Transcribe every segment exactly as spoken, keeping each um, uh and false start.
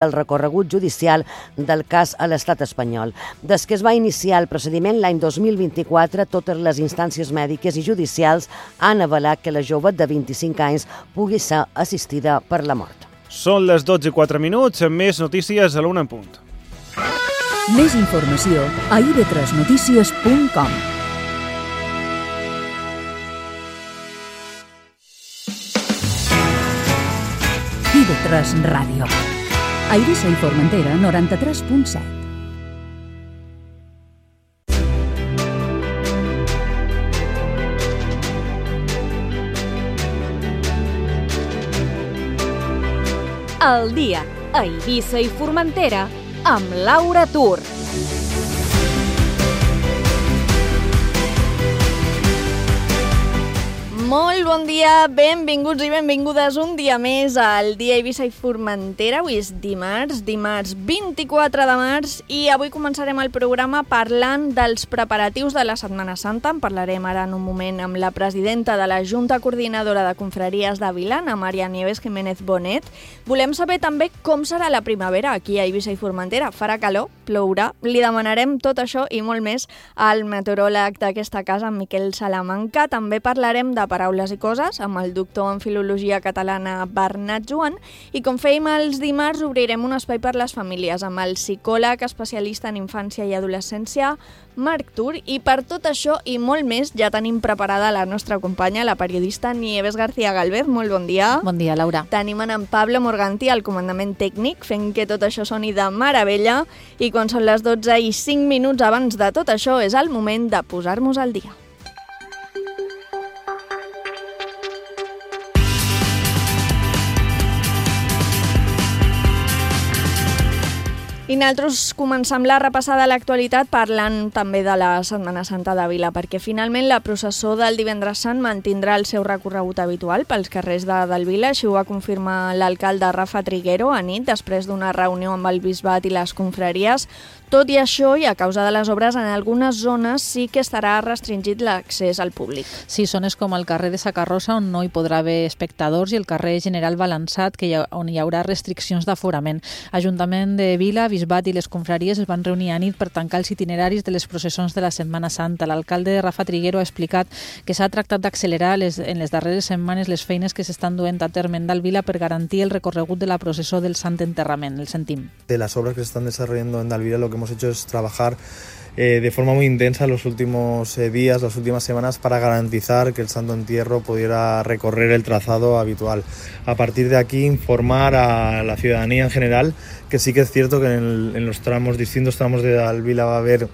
el recorregut judicial del cas a l'estat espanyol. Des que es va iniciar el procediment l'any dos mil vint-i-quatre, totes les instàncies mèdiques i judicials han avalat que la jove de vint-i-cinc anys pugui ser assistida per la mort. Són les dotze i quatre minuts, amb més notícies a l'una en punt. Més informació a i ve tres notícies punt com. i ve tres Ràdio. A Eivissa i Formentera, noranta-tres punt set. El dia a Eivissa i Formentera amb Laura Tur. Molt bon dia, benvinguts i benvingudes un dia més al dia Eivissa i Formentera. Avui és dimarts, dimarts vint-i-quatre de març i avui començarem el programa parlant dels preparatius de la Setmana Santa. En parlarem ara en un moment amb la presidenta de la Junta Coordinadora de Confraries de Vilan, Maria Nieves Jiménez Bonet. Volem saber també com serà la primavera aquí a Eivissa i Formentera. Farà calor, plourà, li demanarem tot això i molt més al meteoròleg d'aquesta casa, en Miquel Salamanca. També parlarem de paraules i coses amb el doctor en Filologia Catalana Bernat Joan i com fèiem els dimarts obrirem un espai per les famílies amb el psicòleg especialista en infància i adolescència Marc Tur, i per tot això i molt més ja tenim preparada la nostra companya, la periodista Nieves García Galvez. Molt bon dia. Bon dia, Laura. Tenim en Pablo Morganti al comandament tècnic fent que tot això soni de meravella i quan són les dotze i cinc minuts abans de tot això és el moment de posar-nos al dia. I nosaltres comencem la repassada a l'actualitat parlant també de la Setmana Santa de Vila, perquè finalment la processó del Divendres Sant mantindrà el seu recorregut habitual pels carrers de, del Vila. Així ho va confirmar l'alcalde Rafa Triguero a nit, després d'una reunió amb el bisbat i les confraries. Tot i això, i a causa de les obres, en algunes zones sí que estarà restringit l'accés al públic. Sí, zones com el carrer de Sacarrosa, on no hi podrà haver espectadors, i el carrer General Balançat, que hi ha, on hi haurà restriccions d'aforament. Ajuntament de Vila, bisbat i les confraries es van reunir a nit per tancar els itineraris de les processons de la Setmana Santa. L'alcalde Rafa Triguero ha explicat que s'ha tractat d'accelerar les, en les darreres setmanes les feines que s'estan duent a terme en Dalt Vila per garantir el recorregut de la processó del Sant Enterrament. El sentim. De las obras que se están desarrollando en Dalt Vila, lo que hemos hecho es trabajar eh, de forma muy intensa los últimos eh, días, las últimas semanas, para garantizar que el Santo Entierro pudiera recorrer el trazado habitual. A partir de aquí, informar a la ciudadanía en general que sí que es cierto que en, el, en los tramos, distintos tramos de Dalt Vila va a haber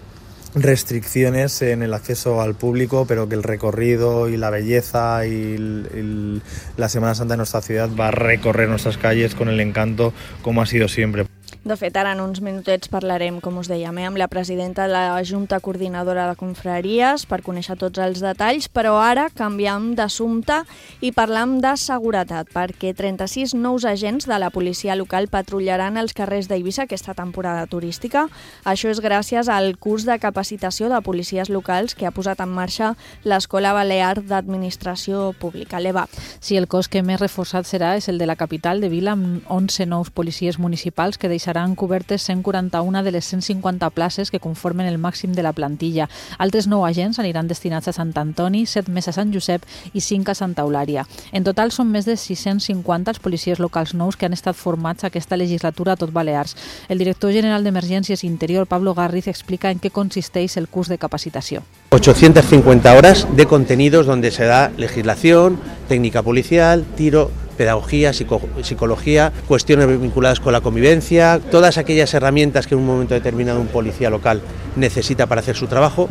restricciones en el acceso al público, pero que el recorrido y la belleza y el, el, la Semana Santa de nuestra ciudad va a recorrer nuestras calles con el encanto como ha sido siempre. De fet, ara en uns minutets parlarem, com us dèiem, eh, amb la presidenta de la Junta Coordinadora de Confraries per conèixer tots els detalls, però ara canviem d'assumpte i parlam de seguretat, perquè trenta-sis nous agents de la policia local patrullaran els carrers d'Eivissa aquesta temporada turística. Això és gràcies al curs de capacitació de policies locals que ha posat en marxa l'Escola Balear d'Administració Pública, l'E B A P. Sí, el cos que més reforçat serà és el de la capital de Vila, amb onze nous policies municipals que deixaran seran cobertes cent quaranta-una de les cent cinquanta places que conformen el màxim de la plantilla. Altres nou agents aniran destinats a Sant Antoni, set més a Sant Josep i cinc a Santa Eulària. En total són més de sis-cents cinquanta els policies locals nous que han estat formats aquesta legislatura a tot Balears. El director general d'Emergències Interior, Pablo Garriz, explica en què consisteix el curs de capacitació. ochocientas cincuenta horas de contenidos donde se da legislación, técnica policial, tiro, pedagogía, psico, psicología, cuestiones vinculadas con la convivencia, todas aquellas herramientas que en un momento determinado un policía local necesita para hacer su trabajo.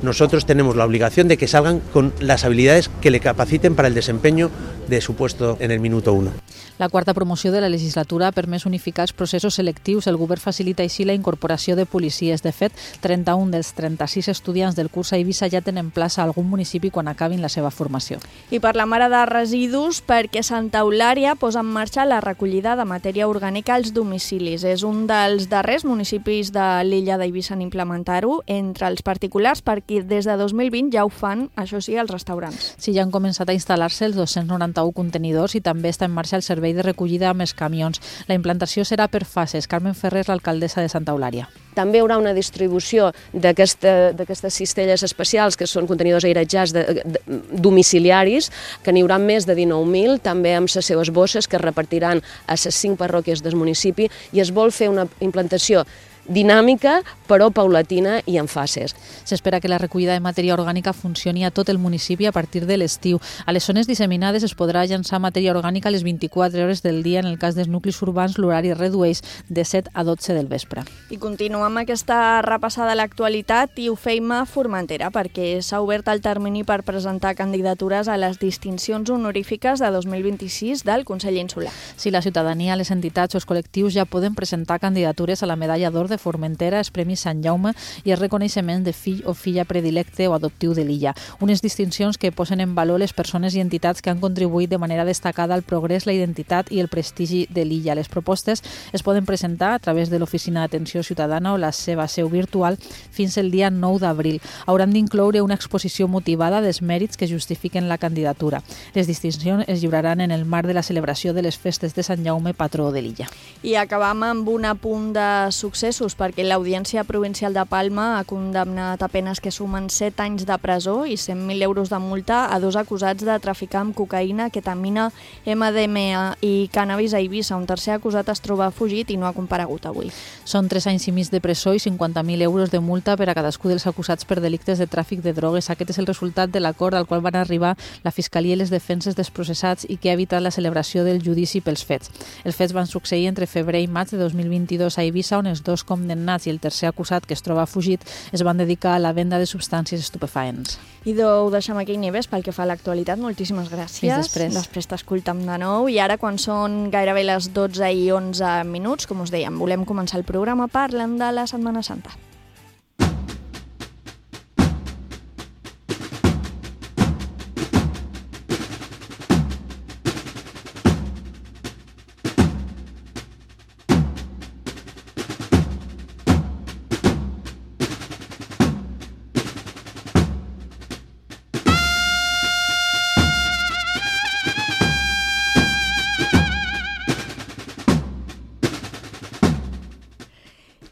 Nosotros tenemos la obligación de que salgan con las habilidades que le capaciten para el desempeño de su puesto en el minuto uno. La quarta promoció de la legislatura ha permès unificar els processos selectius. El govern facilita així la incorporació de policies. De fet, trenta-un dels trenta-sis estudiants del curs a Eivissa ja tenen plaça a algun municipi quan acabin la seva formació. I parlem ara de residus perquè Santa Eulària posa en marxa la recollida de matèria orgànica als domicilis. És un dels darrers municipis de l'illa d'Eivissa en implementar-ho entre els particulars, perquè des de dos mil vint ja ho fan, això sí, els restaurants. Sí, ja han començat a instal·lar-se els dos-cents noranta quaranta-un contenidors i també està en marxa el servei de recollida amb els camions. La implantació serà per fases. Carmen Ferrer, l'alcaldessa de Santa Eulària. També hi haurà una distribució d'aquestes cistelles especials, que són contenidors airejats de, de, domiciliaris, que n'hi haurà més de dinou mil, també amb les seves bosses, que es repartiran a les cinc parròquies del municipi, i es vol fer una implantació dinàmica, però paulatina i en fases. S'espera que la recollida de matèria orgànica funcioni a tot el municipi a partir de l'estiu. A les zones disseminades es podrà llançar matèria orgànica a les vint-i-quatre hores del dia. En el cas dels nuclis urbans, l'horari es redueix de set a dotze del vespre. I continuem amb aquesta repassada a l'actualitat i ho feim a Formentera, perquè s'ha obert el termini per presentar candidatures a les distincions honorífiques de dos mil vint-i-sis del Consell Insular. Si la ciutadania, les entitats o els col·lectius ja poden presentar candidatures a la medalla d'or de Formentera, els Premis Sant Jaume i el reconeixement de fill o filla predilecte o adoptiu de l'illa. Unes distincions que posen en valor les persones i entitats que han contribuït de manera destacada al progrés, la identitat i el prestigi de l'illa. Les propostes es poden presentar a través de l'Oficina d'Atenció Ciutadana o la seva seu virtual fins el dia nou d'abril. Hauran d'incloure una exposició motivada dels mèrits que justifiquen la candidatura. Les distincions es lliuraran en el marc de la celebració de les festes de Sant Jaume, patró de l'illa. I acabam amb un apunt de successos, perquè l'Audiència Provincial de Palma ha condemnat a penes que sumen set anys de presó i cent mil euros de multa a dos acusats de traficar amb cocaïna, ketamina, ema de ema i cànnabis a Eivissa. Un tercer acusat es troba fugit i no ha comparegut avui. Són tres anys i mig de presó i cinquanta mil euros de multa per a cadascú dels acusats per delictes de tràfic de drogues. Aquest és el resultat de l'acord al qual van arribar la Fiscalia i les defenses dels processats i que ha evitat la celebració del judici pels fets. Els fets van succeir entre febrer i maig de dos mil vint-i-dos a Eivissa, on els dos condemnats i el tercer acusat, que es troba fugit, es van dedicar a la venda de substàncies estupefaents. I ho deixem aquí, Nieves, pel que fa a l'actualitat. Moltíssimes gràcies. Fins després. Després t'escoltem de nou. I ara, quan són gairebé les dotze i onze minuts, com us dèiem, volem començar el programa parlant de la Setmana Santa.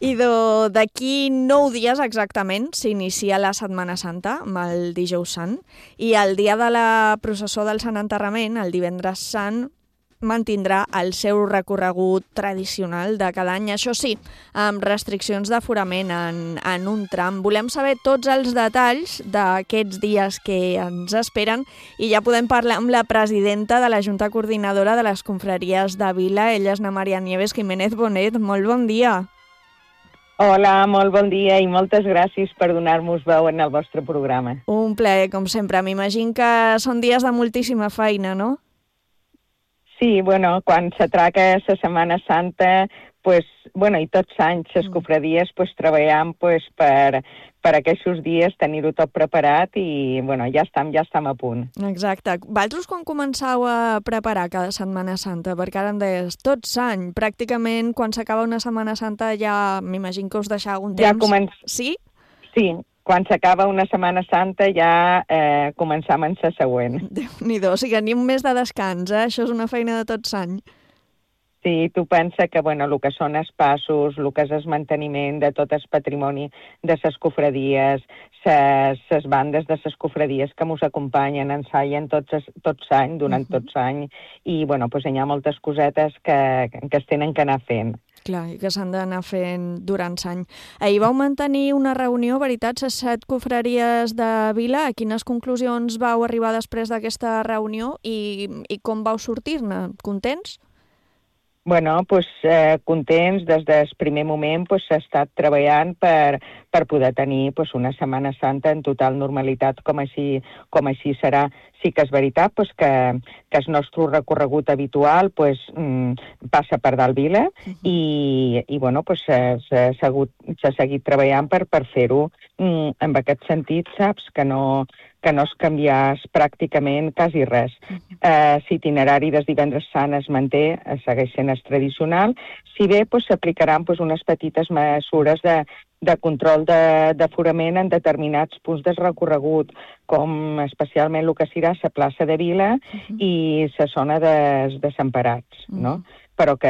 I d'aquí nou dies exactament s'inicia la Setmana Santa, amb el Dijous Sant, i el dia de la processó del Sant Enterrament, el Divendres Sant, mantindrà el seu recorregut tradicional de cada any, això sí, amb restriccions d'aforament en, en un tram. Volem saber tots els detalls d'aquests dies que ens esperen i ja podem parlar amb la presidenta de la Junta Coordinadora de les Confraries de Vila. Ella és na Maria Nieves Jiménez Bonet. Molt bon dia. Hola, molt bon dia i moltes gràcies per donar-nos veu en el vostre programa. Un plaer, com sempre. M'imagino que són dies de moltíssima feina, no? Sí, bueno, quan s'atraca la Setmana Santa, pues, bueno, i tots anys les cofradies pues, treballem pues, per, per aquests dies tenir-ho tot preparat i bueno, ja estem, ja estem a punt. Exacte. Vosaltres quan començau a preparar cada Setmana Santa? Perquè ara em deies, tot any, pràcticament quan s'acaba una Setmana Santa ja m'imagino que us deixeu un temps. Ja començ... Sí? Sí, quan s'acaba una Setmana Santa ja eh, començam en la següent. Déu-n'hi-do, o sigui, ni un mes de descans, eh? Això és una feina de tot l'any. Sí, tu pensa que bueno, el que són els passos, el que és el manteniment de tot el patrimoni de les cofradies, les bandes de les cofradies que ens acompanyen, ensaien tots, tots l'any, durant uh-huh. tots l'any, i bueno, pues, hi ha moltes cosetes que, que es tenen que anar fent. Clar, i que s'han d'anar fent durant l'any. Ahir vau mantenir una reunió, veritat, les set cofraries de Vila. A quines conclusions vau arribar després d'aquesta reunió i, i com vau sortir-ne? Contents? Bueno, pues, eh, contents, des del primer moment pues, s'ha estat treballant per, per poder tenir pues, una Setmana Santa en total normalitat, com així, com així serà. Sí que és veritat pues, que, que el nostre recorregut habitual pues, mm, passa per dalt Vila uh-huh. i, i bueno, pues, s'ha seguit treballant per, per fer-ho mm, en aquest sentit, saps? Que no, que no es canviés pràcticament quasi res. Eh, L'itinerari dels divendres sant es manté, segueix sent el tradicional, si bé pues, s'aplicaran pues, unes petites mesures de, de control d'aforament en determinats punts del recorregut, com especialment el que serà la plaça de Vila uh-huh. i la zona de Desemparats, uh-huh. no? Però que,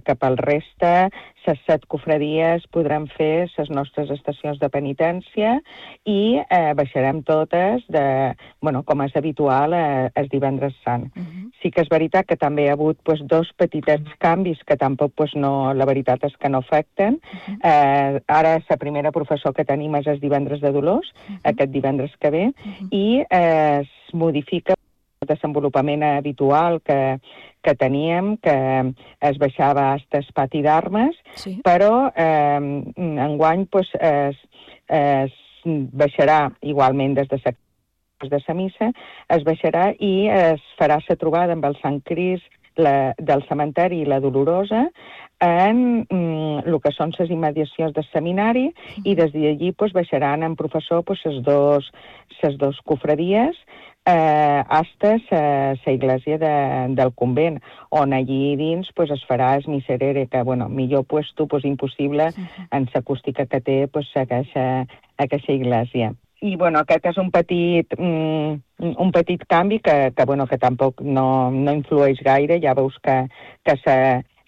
que pel reste, les set cofradies podran fer les nostres estacions de penitència i eh, baixarem totes, de, bueno, com és habitual, eh, el divendres sant. Uh-huh. Sí que és veritat que també hi ha hagut pues, dos petits canvis que tampoc, pues, no, la veritat és que no afecten. Uh-huh. Eh, ara la primera professor que tenim és el divendres de Dolors, uh-huh. aquest divendres que ve, uh-huh. i eh, es modifica el desenvolupament habitual que, que teníem, que es baixava fins al pati d'armes, sí. però eh, enguany pues, es, es baixarà igualment des de la de la missa, es baixarà i es farà la trobada amb el Sant Crist la, del cementeri i la Dolorosa en mm, el que són les immediacions del seminari uh-huh. i des d'allí pues, baixaran en professor pues, les dos, les dos cofradies eh, hasta la iglesia de, del convent, on allí dins pues, es farà el miserere, que bueno, millor puesto pues, impossible uh-huh. en l'acústica que té pues, aquesta, aquesta iglesia. I bueno, aquest és un petit, mm, un petit canvi que, que, bueno, que tampoc no, no influeix gaire. Ja veus que, que se,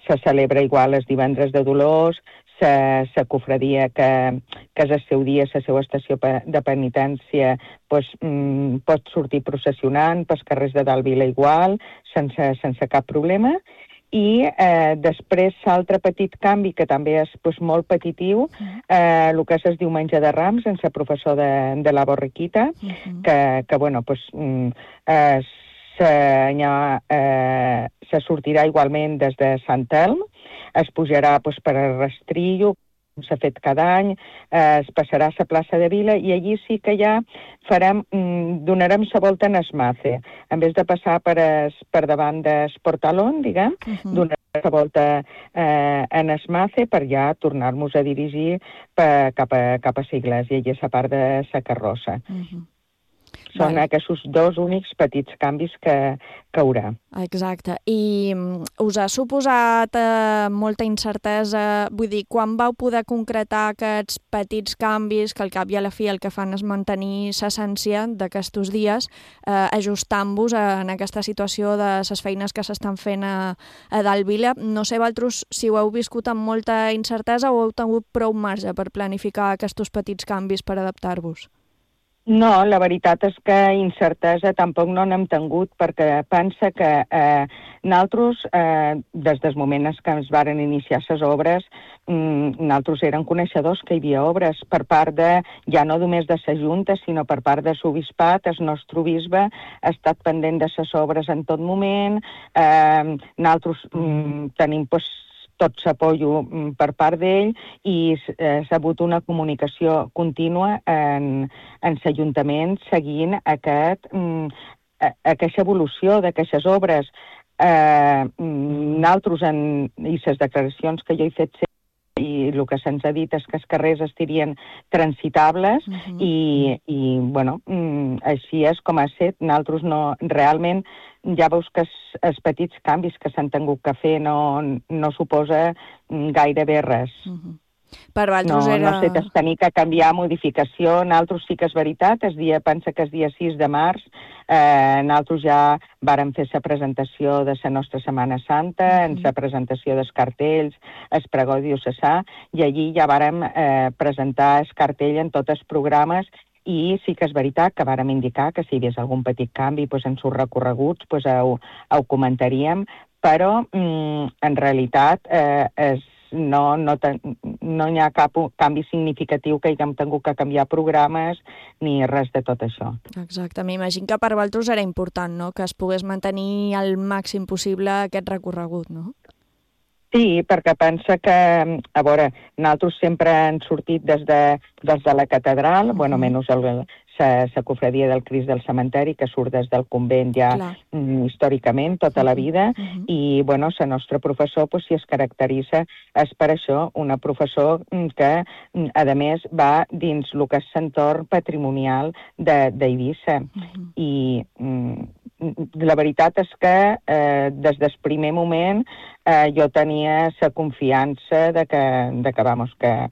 se celebra igual els divendres de Dolors, la cofradia que, que és el seu dia, la seva estació de penitència, pues, mm, pot sortir processionant pels carrers de dalt Vila igual, sense, sense cap problema. I eh, després l'altre petit canvi, que també és pues, molt petitiu, eh, el que és el diumenge de Rams, en la professor de, de la Borriquita, uh-huh. que, que bueno, pues, eh, se, eh, se sortirà igualment des de Sant Elm, es pujarà pues, per el rastrillo, com s'ha fet cada any, eh, es passarà a la plaça de Vila i allí sí que ja farem, mm, donarem la volta en Esmace. En vez de passar per, es, per davant del Portalón, diguem, uh-huh. donarem la volta eh, en Esmace per ja tornar-nos a dirigir per, cap a, cap a la iglesia i a la part de la carrossa. Uh-huh. Són vale. Aquests dos únics petits canvis que, que haurà. Exacte. I us ha suposat eh, molta incertesa? Vull dir, quan vau poder concretar aquests petits canvis que al cap i a la fi el que fan és mantenir l'essència d'aquests dies, eh, ajustant-vos en aquesta situació de les feines que s'estan fent a, a dalt Vila? No sé, vosaltres, si ho heu viscut amb molta incertesa o heu tingut prou marge per planificar aquests petits canvis per adaptar-vos? No, la veritat és que incertesa tampoc no n'hem tingut, perquè pensa que eh, nosaltres, eh, des del moment que es varen iniciar les obres, mm, nosaltres eren coneixedors que hi havia obres per part de, ja no només de la Junta, sinó per part de l'Obispat. El nostre bisbe ha estat pendent de les obres en tot moment. Eh, nosaltres mm, tenim pues, tot l'apoyo per part d'ell i eh, s'ha hagut una comunicació contínua en, en l'Ajuntament seguint aquest, mm, aquesta evolució d'aquestes obres. Eh, nosaltres, en, i les declaracions que jo he fet i el que se'ns ha dit és que els carrers estirien transitables uh-huh. i, i bueno, així és com ha estat. Nosaltres no, realment, ja veus que els, els petits canvis que s'han tingut que fer no, no suposa gairebé res. Uh-huh. Per vosaltres no, era... no sé, t'has tenir que canviar modificació. Nosaltres sí que és veritat, el dia, pensa que el dia sis de març, eh, nosaltres ja vàrem fer la presentació de la nostra Setmana Santa, mm-hmm. en la presentació dels cartells, el pregó diocesà, i allí ja vàrem eh, presentar el cartell en tots els programes. I sí que és veritat que vàrem indicar que si hi hagués algun petit canvi pues, en els recorreguts pues, ho, ho comentaríem, però mm, en realitat eh, és No, no, no hi ha cap canvi significatiu que haguem tingut que canviar programes ni res de tot això. Exacte, m'imagino que per vosaltres era important, no?, que es pogués mantenir al màxim possible aquest recorregut, no? Sí, perquè pensa que, a veure, nosaltres sempre hem sortit des de, des de la catedral, uh-huh. bueno, menys el, la, la cofradia del Crist del Cementeri, que surt des del convent ja mm, històricament, tota la vida, uh-huh. i, bueno, la nostra professor, pues, si es caracteritza, és per això una professor que, a més, va dins el que és l'entorn patrimonial d'Eivissa. Uh-huh. I mm, la veritat és que eh, des del primer moment eh, jo tenia la confiança de que, de que, vamos, que,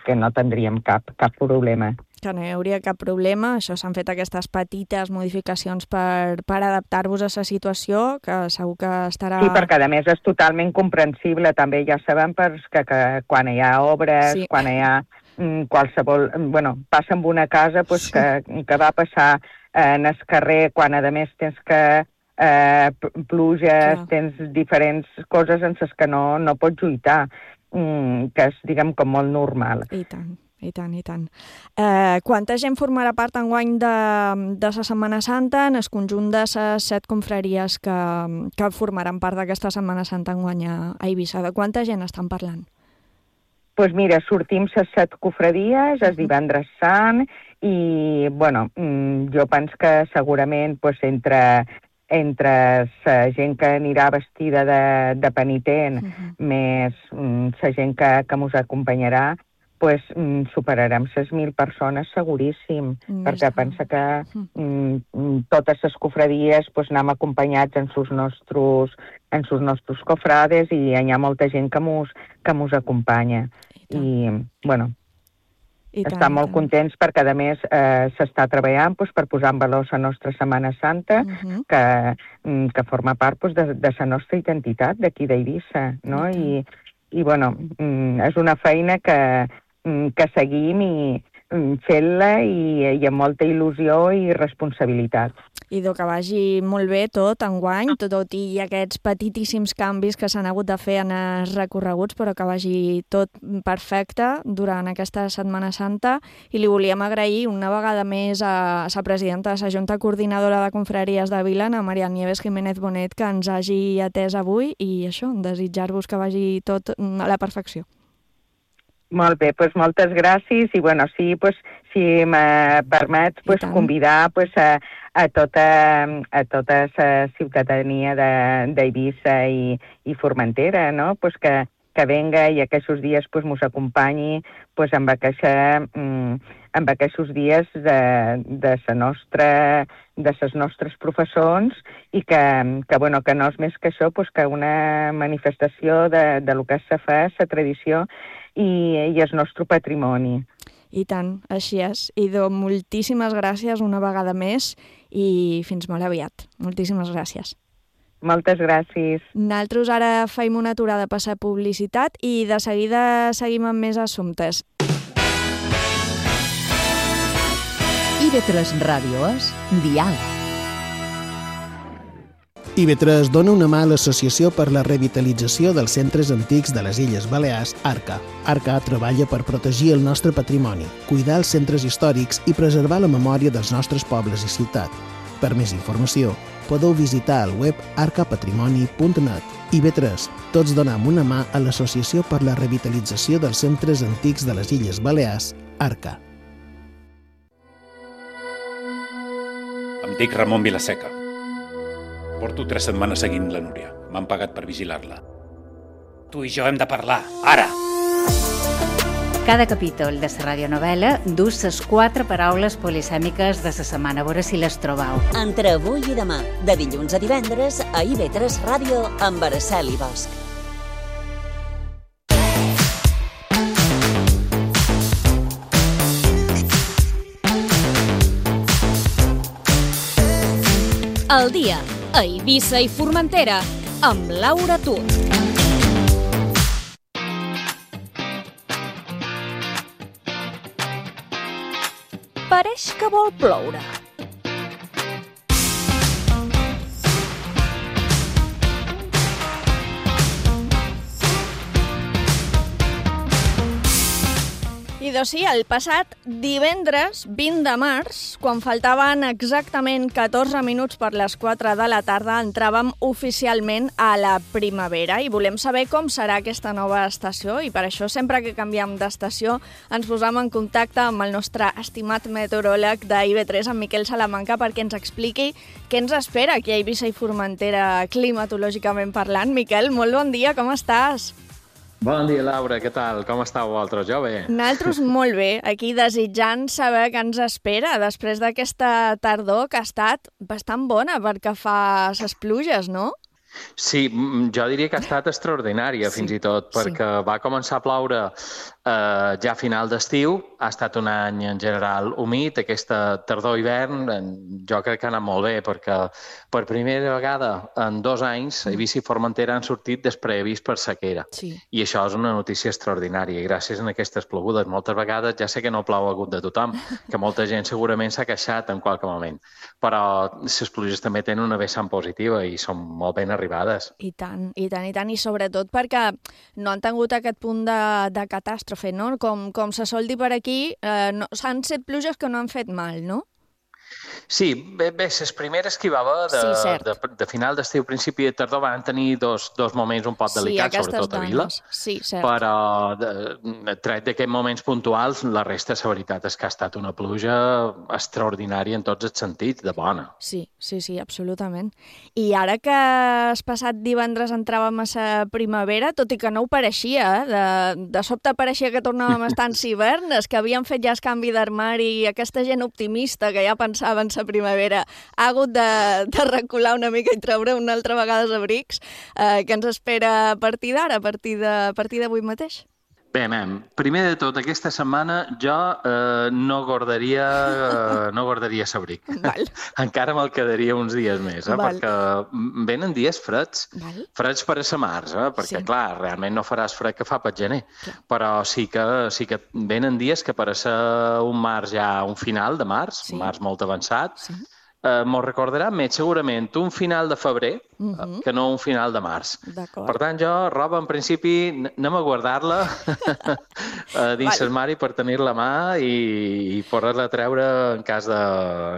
que no tindríem cap, cap problema. Que no hi hauria cap problema, això s'han fet aquestes petites modificacions per, per adaptar-vos a la situació, que segur que estarà... Sí, perquè a més és totalment comprensible, també ja sabem que, que quan hi ha obres, sí. quan hi ha mm, qualsevol... Bueno, passa en una casa pues, sí. que, que va passar en el carrer, quan a més tens que eh, pluges, sí. tens diferents coses en les que no, no pots lluitar, mm, que és, diguem, com molt normal. I tant. I tant, i tant. Eh, quanta gent formarà part enguany de, de la Setmana Santa en el conjunt de les set confraries que, que formaran part d'aquesta Setmana Santa enguany a Eivissa? De quanta gent estan parlant? Doncs pues mira, sortim les set cofradies, el divendres sant, i, bueno, jo penso que segurament pues, entre... entre la gent que anirà vestida de, de penitent, uh-huh. més la gent que, que ens acompanyarà, pues, mm, superarem les mil persones seguríssim, mm, perquè està. Pensa que mm, totes les cofradies pues, anem acompanyats en sus nostres, en sus nostres cofrades i hi ha molta gent que mos, que mos acompanya. I, I bueno, I tant, estem molt tant. contents perquè, a més, eh, s'està treballant pues, per posar en valor la nostra Setmana Santa, uh-huh. que, que forma part pues, de, de la nostra identitat d'aquí d'Eivissa, no? I, i, bueno, és una feina que, que seguim i fent-la i, i amb molta il·lusió i responsabilitat. I que vagi molt bé tot enguany, tot, tot i aquests petitíssims canvis que s'han hagut de fer en els recorreguts, però que vagi tot perfecte durant aquesta Setmana Santa. I li volíem agrair una vegada més a la presidenta de la Junta Coordinadora de Confraries de Vila, a Maria Nieves Jiménez Bonet, que ens hagi atès avui i això, desitjar-vos que vagi tot a la perfecció. Molt bé, doncs moltes gràcies i, bueno, sí, pues, si me permets pues, convidar pues, a, a, tota, a tota la ciutadania d'Eivissa i, i Formentera, no? Pues que, que venga i aquests dies pues, mos acompanyi pues, amb, aquesta, amb aquests dies de, de, sa nostra, de ses nostres professors i que, que, bueno, que no és més que això, pues, que una manifestació de, de lo que se fa, la tradició i, i el nostre patrimoni. I tant, així és. Idò, moltíssimes gràcies una vegada més i fins molt aviat. Moltíssimes gràcies. Moltes gràcies. Nosaltres ara feim una aturada per la publicitat i de seguida seguim amb més assumptes. I ve tres Ràdio és Dial. I ve tres dona una mà a l'Associació per la Revitalització dels Centres Antics de les Illes Balears, ARCA. ARCA treballa per protegir el nostre patrimoni, cuidar els centres històrics i preservar la memòria dels nostres pobles i ciutat. Per més informació, podeu visitar el web arca patrimoni punt net. I ve tres, tots donem una mà a l'Associació per la Revitalització dels Centres Antics de les Illes Balears, ARCA. Em dic Ramon Vilaseca. Porto tres setmanes seguint la Núria. M'han pagat per vigilar-la. Tu i jo hem de parlar, ara! Cada capítol de la radionovel·la dus les quatre paraules polisèmiques de la setmana. A veure si les trobau. Entre avui i demà, de dilluns a divendres, a I ve tres Ràdio amb Araceli Bosch. El dia a Eivissa i Formentera, amb Laura Tur. Pareix que vol ploure. Idò sí, el passat divendres vint de març, quan faltaven exactament catorze minuts per les quatre de la tarda, entràvem oficialment a la primavera i volem saber com serà aquesta nova estació i per això sempre que canviem d'estació ens posam en contacte amb el nostre estimat meteoròleg d'I V tres, en Miquel Salamanca, perquè ens expliqui què ens espera aquí a Eivissa i Formentera climatològicament parlant. Miquel, molt bon dia, com estàs? Bon dia, Laura, què tal? Com estàu vosaltres? Jo bé. Nosaltres molt bé, aquí desitjant saber què ens espera després d'aquesta tardor que ha estat bastant bona perquè fa ses pluges, no? Sí, jo diria que ha estat extraordinària, sí, fins i tot, perquè sí. va començar a ploure eh, ja a final d'estiu, ha estat un any en general humit, aquesta tardor-hivern jo crec que ha anat molt bé, perquè per primera vegada en dos anys Eivissa i Formentera han sortit despreavís per sequera, sí. i això és una notícia extraordinària, i gràcies a aquestes plogudes. Moltes vegades ja sé que no plou a gust de tothom, que molta gent segurament s'ha queixat en qualque moment, però les pluges també tenen una vessant positiva i són molt ben arribades. I tant, i tant, i tant, i sobretot perquè no han tingut aquest punt de, de catàstrofe, no? Com, com se sol dir per aquí, eh, no, han set pluges que no han fet mal, no? Sí, bé, bé les primeres que hi va haver de, sí, de, de final d'estiu, principi de tardor, van tenir dos, dos moments un poc delicats, sí, sobretot a Vila, sí, cert. Però de, tret d'aquests moments puntuals, la resta, la veritat, és que ha estat una pluja extraordinària en tots els sentits, de bona. Sí, sí, sí, absolutament. I ara que el passat divendres entràvem a la primavera, tot i que no ho pareixia, eh? de, de sobte pareixia que tornàvem a estar en hivern, és que havíem fet ja el canvi d'armari i aquesta gent optimista que ja pensava en la primavera ha hagut de, de recular una mica i treure una altra vegada els abrics. Eh, què ens espera a partir d'ara, a partir de, a partir d'avui mateix? Bé, mem, primer de tot, aquesta setmana jo eh, no guardaria eh, no guardaria l'abric. Encara me'l quedaria uns dies més, eh, perquè venen dies freds, Val. freds per a la març, eh, perquè, sí. clar, realment no faràs fred que fa pel gener, clar. però sí que, sí que venen dies que per a ser un març ja, un final de març, sí. un març molt avançat, sí. Uh, m'ho recordarà més segurament un final de febrer uh -huh. que no un final de març. Per tant, jo, roba, en principi, anem a guardar-la uh, dins l'armari per tenir-la a mà i, i poder-la treure en cas de,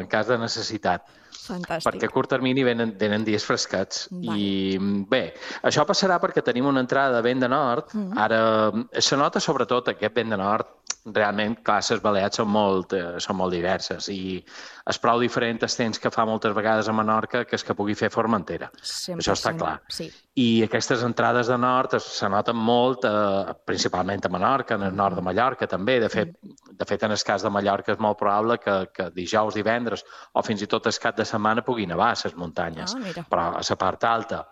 en cas de necessitat. Fantàstic. Perquè a curt termini venen, venen dies fresquets. Vale. I bé, això passarà perquè tenim una entrada de vent de nord. Uh -huh. Ara, se nota sobretot aquest vent de nord. Realment, clar, les Balears són molt, eh, són molt diverses i és prou diferent el temps que fa moltes vegades a Menorca que és que pugui fer Formentera. cent per cent. Això està clar. Sí. I aquestes entrades de nord es, se noten molt, eh, principalment a Menorca, en el nord de Mallorca també. De fet, mm. de fet en el cas de Mallorca és molt probable que, que dijous, divendres o fins i tot el cap de setmana pugui nevar a les muntanyes, ah, però a la part alta.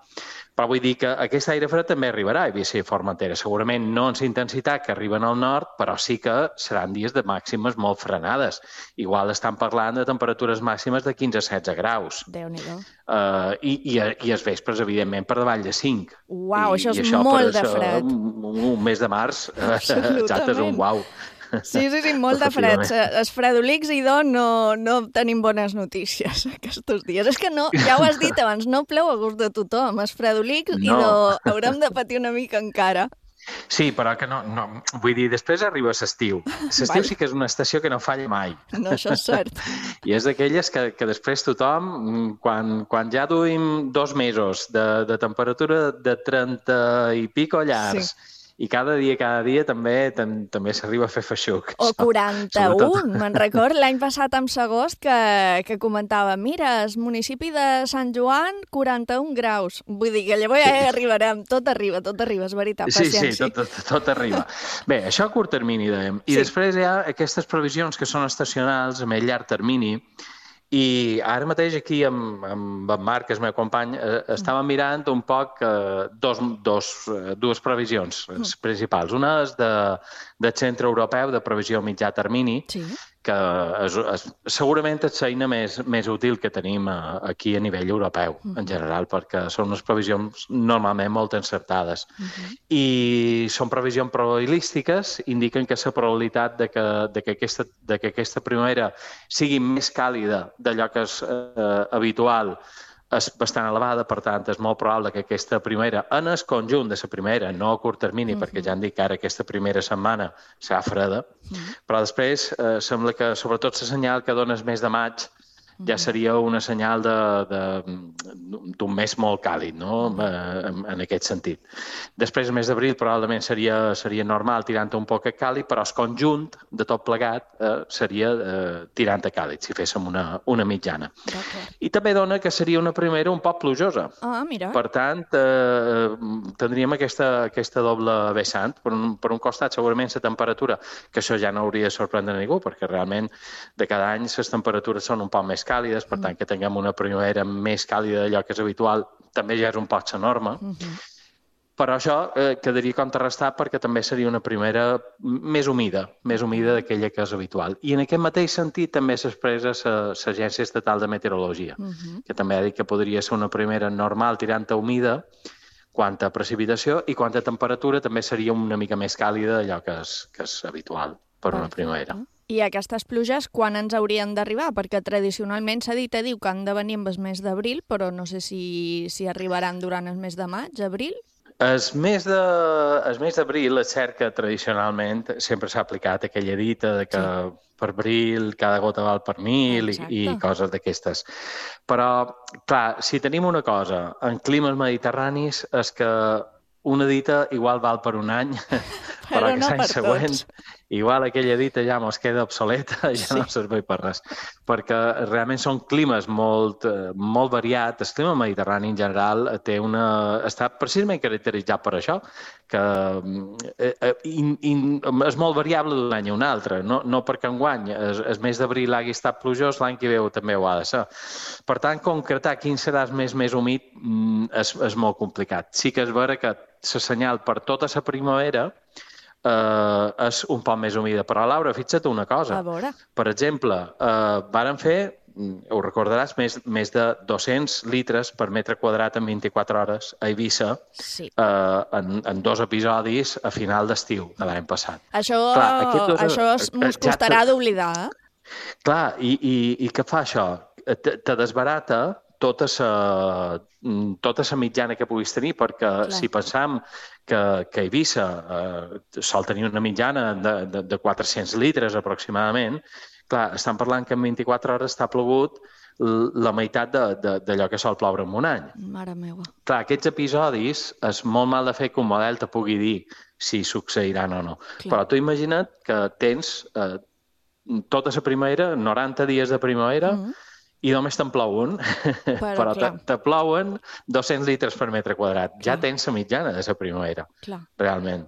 Però vull dir que aquest aire fred també arribarà a Eivissa i Formentera. Segurament no en la intensitat que arriben al nord, però sí que seran dies de màximes molt frenades. Igual estan parlant de temperatures màximes de quinze a setze graus. Déu-n'hi-do. Uh, i, i, I els vespres, evidentment, per davall de cinc. Uau, això I, és i això molt per de fred. Un, un mes de març, exacte, és un uau. Sí, sí, sí, molt de fred. Els fredolics, idò, no, no tenim bones notícies aquests dies. És que no, ja ho has dit abans, no plou a gust de tothom. Els fredolics, no. idò, haurem de patir una mica encara. Sí, però que no, no... Vull dir, després arriba l'estiu. L'estiu sí que és una estació que no falla mai. No, això és cert. I és d'aquelles que, que després tothom, quan, quan ja duim dos mesos de, de temperatura de trenta i pico llars, sí. i cada dia, cada dia també tam, també s'arriba a fer feixuc. O quaranta-un, me'n record l'any passat amb Sagost que, que comentava, mira, el municipi de Sant Joan, quaranta-un graus. Vull dir que llavors ja arribarem, tot arriba, tot arriba, és veritat, paciència. Sí, sí, tot, tot, tot arriba. Bé, això a curt termini, dèiem. I sí. després hi ha aquestes previsions que són estacionals, a més llarg termini, i ara mateix aquí amb, amb en Marc, que és el meu company, eh, estàvem mirant un poc eh, dos, dos, eh, dues previsions mm. principals. Una és de, del Centre Europeu de Previsió Mitjà Termini, sí. que és, és, segurament és l'eina més, més útil que tenim a, aquí a nivell europeu, mm. en general, perquè són unes previsions normalment molt encertades. Mm-hmm. I són previsions probabilístiques, indiquen que la probabilitat de que, de que, aquesta, de que aquesta primavera sigui més càlida d'allò que és eh, habitual és bastant elevada, per tant, és molt probable que aquesta primera, en el conjunt de la primera, no a curt termini, uh -huh. perquè ja han dit que ara aquesta primera setmana serà freda, uh -huh. però després eh, sembla que, sobretot, la senyal que dona el mes de maig ja seria una senyal d'un mes molt càlid, no? en, en aquest sentit. Després, el mes d'abril probablement seria, seria normal tirant un poc a càlid, però el conjunt de tot plegat eh, seria eh, tirant a càlid, si féssim una, una mitjana. I també dona que seria una primera un poc plujosa. Ah, mira. Per tant, eh, tindríem aquesta, aquesta doble vessant. Per un, per un costat, segurament, la temperatura, que això ja no hauria de sorprendre a ningú, perquè realment de cada any les temperatures són un poc més càlides, per tant, que tinguem una primavera més càlida d'allò que és habitual, també ja és un poc la norma. Uh -huh. Però això eh, quedaria contrarrestat perquè també seria una primera més humida, més humida d'aquella que és habitual. I en aquest mateix sentit també s'expressa l'Agència Estatal de Meteorologia, uh -huh. que també ha dit que podria ser una primera normal tirant a humida quant a precipitació i quant a temperatura també seria una mica més càlida d'allò que és, que és habitual per una primavera. I aquestes pluges quan ens haurien d'arribar? Perquè tradicionalment s'ha dit, diu que han de venir amb el mes d'abril, però no sé si, si arribaran durant el mes de maig, abril? El mes de, el mes d'abril és cert que tradicionalment sempre s'ha aplicat aquella dita de que sí. per abril cada gota val per mil i, i coses d'aquestes. Però, clar, si tenim una cosa en climes mediterranis és que una dita igual val per un any, però, però que no l'any següent tots. Igual aquella dita ja mos queda obsoleta, ja sí. no serveix per res. Perquè realment són climes molt, molt variats. El clima mediterrani en general té una, està precisament caracteritzat per això, que eh, in, in, és molt variable d'un any a un altre. No, no perquè enguany el, el mes d'abril hagi estat plujós, l'any que ve també ho ha de ser. Per tant, concretar quin serà el mes més humit és, és molt complicat. Sí que és vera que la senyal per tota la primavera Uh, és un poc més humida. Però, Laura, fixa't una cosa. A veure. Per exemple, uh, varen fer, ho recordaràs, més, més de dos-cents litres per metre quadrat en vint-i-quatre hores a Eivissa, sí. uh, en, en dos episodis a final d'estiu de l'any passat. Això, Clar, dos, això mos costarà ja d'oblidar, eh? Clar, i, i, i què fa això? Te, te desbarata tota la tota la mitjana que puguis tenir, perquè Clar. si pensam que, que Eivissa eh, sol tenir una mitjana de, de, de quatre-cents litres aproximadament, clar, estan parlant que en vint-i-quatre hores està plogut la meitat d'allò que sol ploure en un any. Mare meva. Clar, aquests episodis és molt mal de fer que un model te pugui dir si succeiran o no. Clar. Però tu imagina't que tens eh, tota la primavera, noranta dies de primavera, mm-hmm. i només te'n plou un, però, però te, te plouen dos-cents litres per metre quadrat. Clar. Ja tens la mitjana de la primavera, clar. realment.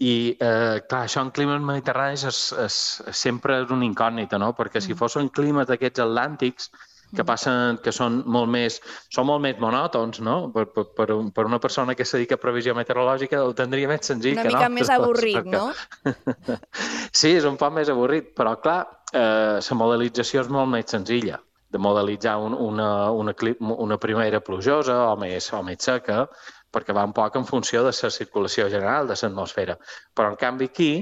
I, eh, clar, això en climes mediterranis és, és, sempre és una incògnita, no? Perquè si fossin climes d'aquests atlàntics, que passen, que són molt més, són molt més monòtons, no? Per, per, per, un, per una persona que se dedica a previsió meteorològica ho tindria més senzill una que no. Una mica més avorrit, perquè... no? Sí, és un poc més avorrit, però clar, eh, la modelització és molt més senzilla de modelitzar un, una, una, una primavera plujosa o més, o més seca, perquè va un poc en funció de la circulació general de l'atmosfera. Però, en canvi, aquí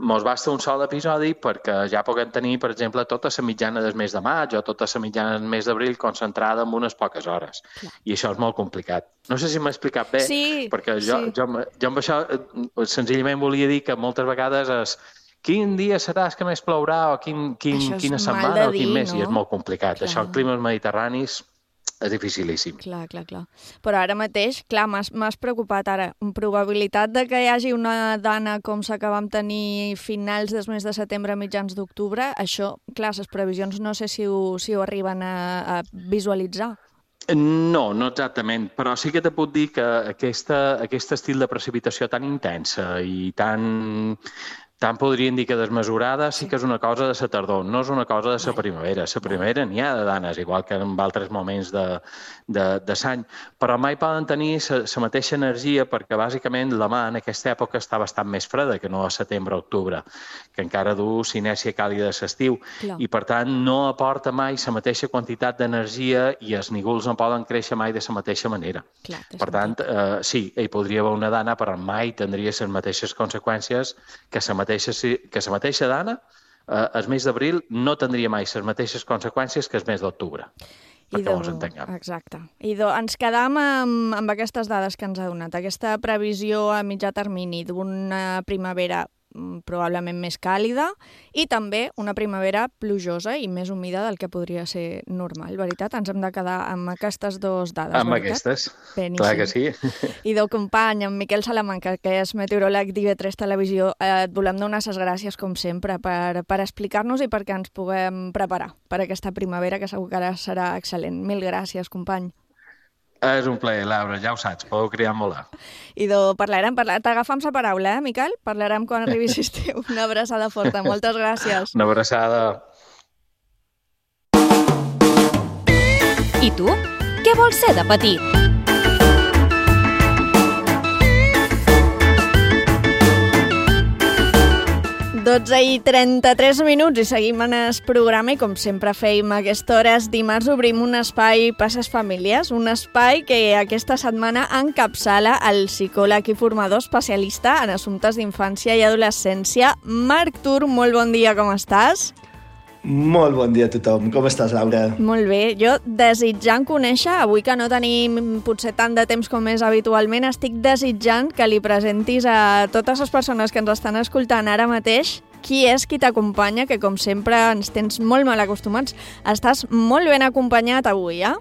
mos basta un sol episodi perquè ja puguem tenir, per exemple, tota la mitjana del mes de maig o tota la mitjana del mes d'abril concentrada en unes poques hores. Clar. I això és molt complicat. No sé si m'he explicat bé, sí, perquè jo, sí. jo, jo amb això senzillament volia dir que moltes vegades és quin dia serà que més plourà o quin, quin, quina setmana o quin mes, no? I és molt complicat. Clar. Això en climes mediterranis és dificilíssim. Clar, clar, clar. Però ara mateix, clar, m'has preocupat ara. Probabilitat de que hi hagi una dana com la que vam tenir finals del mes de setembre, mitjans d'octubre, això, clar, les previsions no sé si ho, si ho arriben a, a visualitzar. No, no exactament, però sí que te puc dir que aquesta, aquest estil de precipitació tan intensa i tan... tant podrien dir que desmesurada sí que és una cosa de la tardor, no és una cosa de la primavera. La primavera n'hi ha de danes, igual que en altres moments de, de, de l'any, però mai poden tenir la mateixa energia perquè bàsicament la mà en aquesta època està bastant més freda que no a setembre o octubre, que encara du sinèsia càlida de l'estiu i per tant no aporta mai la mateixa quantitat d'energia i els nígols no poden créixer mai de la mateixa manera. Clar, per tant, eh, sí, hi podria haver una dana, però mai tindria les mateixes conseqüències que la mateixa que la mateixa dana, eh, el mes d'abril no tindria mai les mateixes conseqüències que el mes d'octubre. perquè ens entenguem. Exacte. I do, ens quedam amb, amb aquestes dades que ens ha donat, aquesta previsió a mitjà termini d'una primavera probablement més càlida i també una primavera plujosa i més humida del que podria ser normal, veritat? Ens hem de quedar amb aquestes dues dades, amb veritat? Amb aquestes, Beníssim. Clar que sí. I del company, en Miquel Salamanca, que és meteoròleg d'I V tres Televisió, eh, et volem donar les gràcies, com sempre, per, per explicar-nos i perquè ens puguem preparar per aquesta primavera, que segur que ara serà excel·lent. Mil gràcies, company. És un plaer, Laura, ja ho saps, podeu criar molt. I de, parlarem, parlar... t'agafam la paraula, eh, Miquel? Parlarem quan arribi l'estiu. Una abraçada forta, moltes gràcies. Una abraçada. I tu? Què vols ser de petit? dotze i trenta-tres minuts i seguim en el programa i com sempre feim a aquesta hora, dimarts obrim un espai Passes Famílies, un espai que aquesta setmana encapçala el psicòleg i formador especialista en assumptes d'infància i adolescència, Marc Tur. Molt bon dia, com estàs? Molt bon dia a tothom. Com estàs, Laura? Molt bé. Jo, desitjant conèixer, avui que no tenim potser tant de temps com és habitualment, estic desitjant que li presentis a totes les persones que ens estan escoltant ara mateix qui és qui t'acompanya, que com sempre ens tens molt mal acostumats. Estàs molt ben acompanyat avui, eh?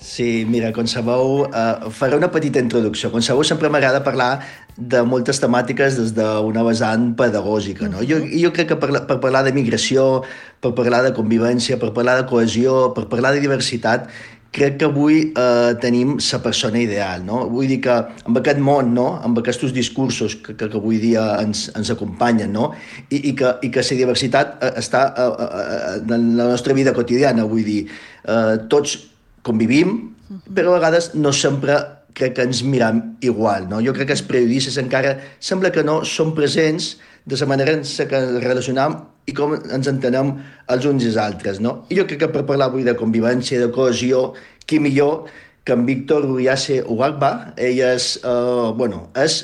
Sí, mira, com sabeu, eh, faré una petita introducció. Com sabeu, sempre m'agrada parlar de moltes temàtiques des d'una vessant pedagògica, no? Jo, jo crec que per, per parlar de migració, per parlar de convivència, per parlar de cohesió, per parlar de diversitat, crec que avui eh, tenim la persona ideal, no? Vull dir que amb aquest món, no? Amb aquests discursos que, que, que avui dia ens, ens acompanyen, no? I, i, que, i que la diversitat està eh, eh, en la nostra vida quotidiana, vull dir, eh, tots convivim, però a vegades no sempre crec que ens miram igual, no? Jo crec que els periodistes encara sembla que no són presents de la manera en què ens relacionam i com ens entenem els uns i els altres, no? I jo crec que per parlar avui de convivència, de cohesió, qui millor que en Víctor Uriase Uagba. Ell és, eh, bueno, és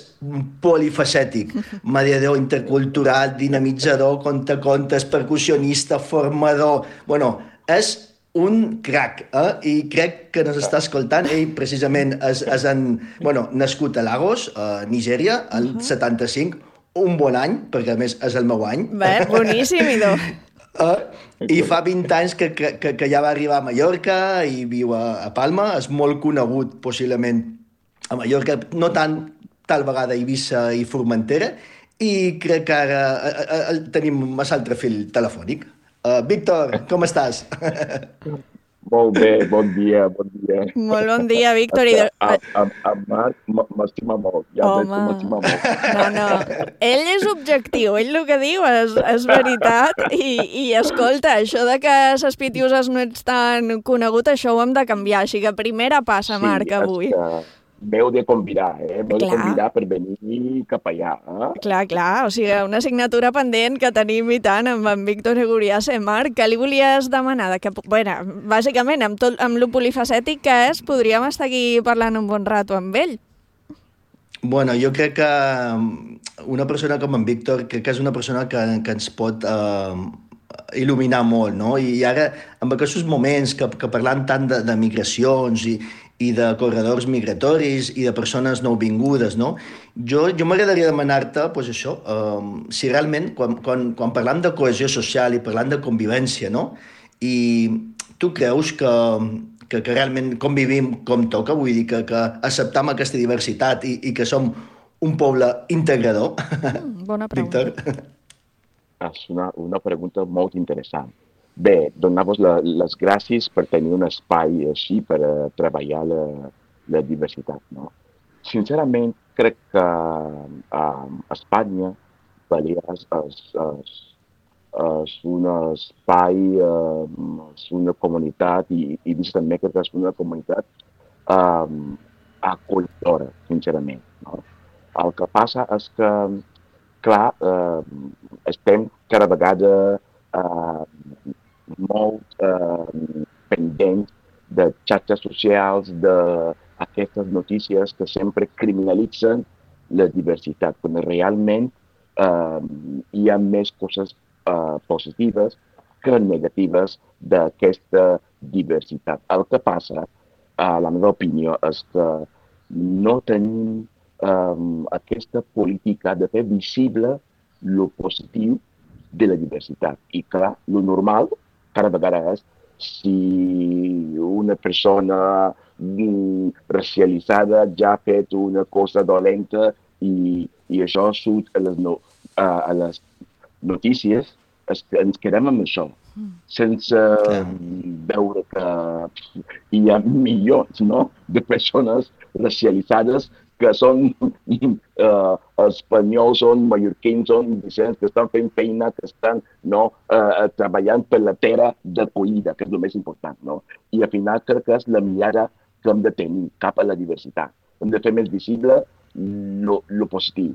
polifacètic, mediador intercultural, dinamitzador, contacontes, percussionista, formador... Bueno, és un crac, eh? I crec que ens està escoltant. Ell precisament és, és en, bueno, nascut a Lagos, a Nigèria, el uh-huh. setanta-cinc, un bon any, perquè a més és el meu any. Bé, boníssim, idò. Uh, I fa vint anys que, que, que ja va arribar a Mallorca i viu a, a Palma. És molt conegut, possiblement, a Mallorca, no tant tal vegada a Eivissa i Formentera, i crec que ara uh, uh, tenim un altre fil telefònic. Uh, Víctor, com estàs? Molt bé, bon dia, bon dia. Molt bon dia, Víctor. I... En Marc m'estima molt, ja veig que m'estima molt. No, no, ell és objectiu, ell el que diu és, és veritat i, i escolta, això de que les pitiuses no ets tan conegut, això ho hem de canviar, així que primera passa, sí, Marc, avui. Que... M'heu de convidar, eh? M'heu de convidar per venir cap allà. Eh? Clar, clar, o sigui, una assignatura pendent que tenim i tant amb en Víctor Uriase. Marc, què li volies demanar? Que, bueno, bàsicament, amb, tot, amb lo polifacètic que és, podríem estar aquí parlant un bon rato amb ell. Bueno, jo crec que una persona com en Víctor, crec que és una persona que, que ens pot eh, il·luminar molt, no? I ara, amb aquests moments que, que parlant tant de, de migracions i, i de corredors migratoris i de persones nouvingudes, no? Jo, jo m'agradaria demanar-te, doncs això, um, si realment, quan, quan, quan parlam de cohesió social i parlant de convivència, no? I tu creus que, que, que realment convivim com toca, vull dir que, que acceptam aquesta diversitat i, i que som un poble integrador? Mm, bona pregunta. Víctor? És una, una pregunta molt interessant. Bé, donar-vos la, les gràcies per tenir un espai així per uh, treballar la, la diversitat, no? Sincerament, crec que a uh, Espanya, Balears és, és, és un espai, uh, és una comunitat i, i també crec que és una comunitat uh, acollidora, sincerament, no? El que passa és que, clar, uh, estem cada vegada uh, molt eh, pendents de xarxes socials, d'aquestes notícies que sempre criminalitzen la diversitat, quan realment eh, hi ha més coses eh, positives que negatives d'aquesta diversitat. El que passa, a la meva opinió, és que no tenim um, aquesta política de fer visible el positiu de la diversitat. I clar, el normal cada vegada és si una persona mm, racialitzada ja ha fet una cosa dolenta i, i això surt a les, no, a, a les notícies, es, ens quedem amb això, mm. sense yeah. veure que hi ha milions, no?, de persones racialitzades que són uh, espanyols, són mallorquins, són vicents, que estan fent feina, que estan no, uh, treballant per la terra d'acollida, que és el més important. No? I al final crec que és la mirada que hem de tenir cap a la diversitat. Hem de fer més visible el positiu.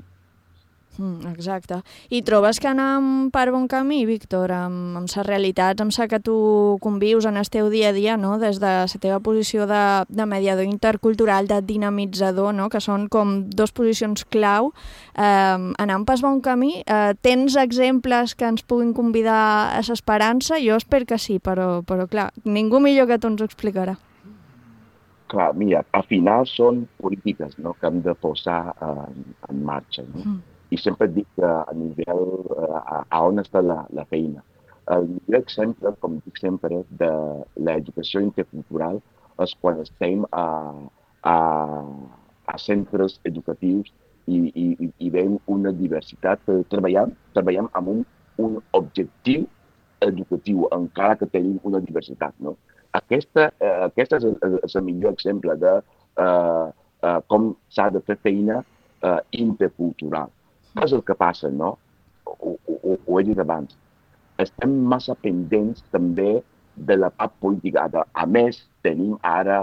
Mm, exacte. I trobes que anem per bon camí, Víctor, amb, amb les realitats, amb la que tu convius en el teu dia a dia, no? Des de la teva posició de, de mediador intercultural, de dinamitzador, no? Que són com dos posicions clau. Eh, anem per bon camí? Eh, tens exemples que ens puguin convidar a l'esperança? Jo espero que sí, però, però clar, ningú millor que tu ens ho explicarà. Clar, mira, al final són polítiques, no?, que hem de posar en, en marxa, no? Mm. I sempre dic que a nivell, a, a on està la, la feina. El millor exemple, com dic sempre, de l'educació intercultural és quan estem a, a, a centres educatius i, i, i veiem una diversitat. Treballem, treballem amb un, un objectiu educatiu, encara que tenim una diversitat. No? Aquesta, eh, aquesta és, el, és el millor exemple de eh, eh, com s'ha de fer feina eh, intercultural. Què és el que passa, no? Ho, ho, ho he dit abans. Estem massa pendents també de la part política. A més, tenim ara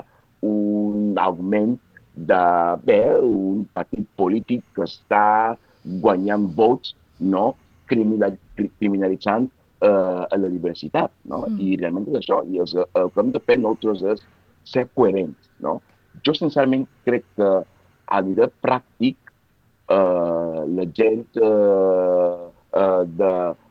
un augment de bé, un partit polític que està guanyant vots, no? Criminalitzant eh, la diversitat. No? Mm. I realment és això. I el, el que hem de fer nosaltres és ser coherents. No? Jo, sincerament, crec que a nivell pràctic Uh, la gent uh, uh,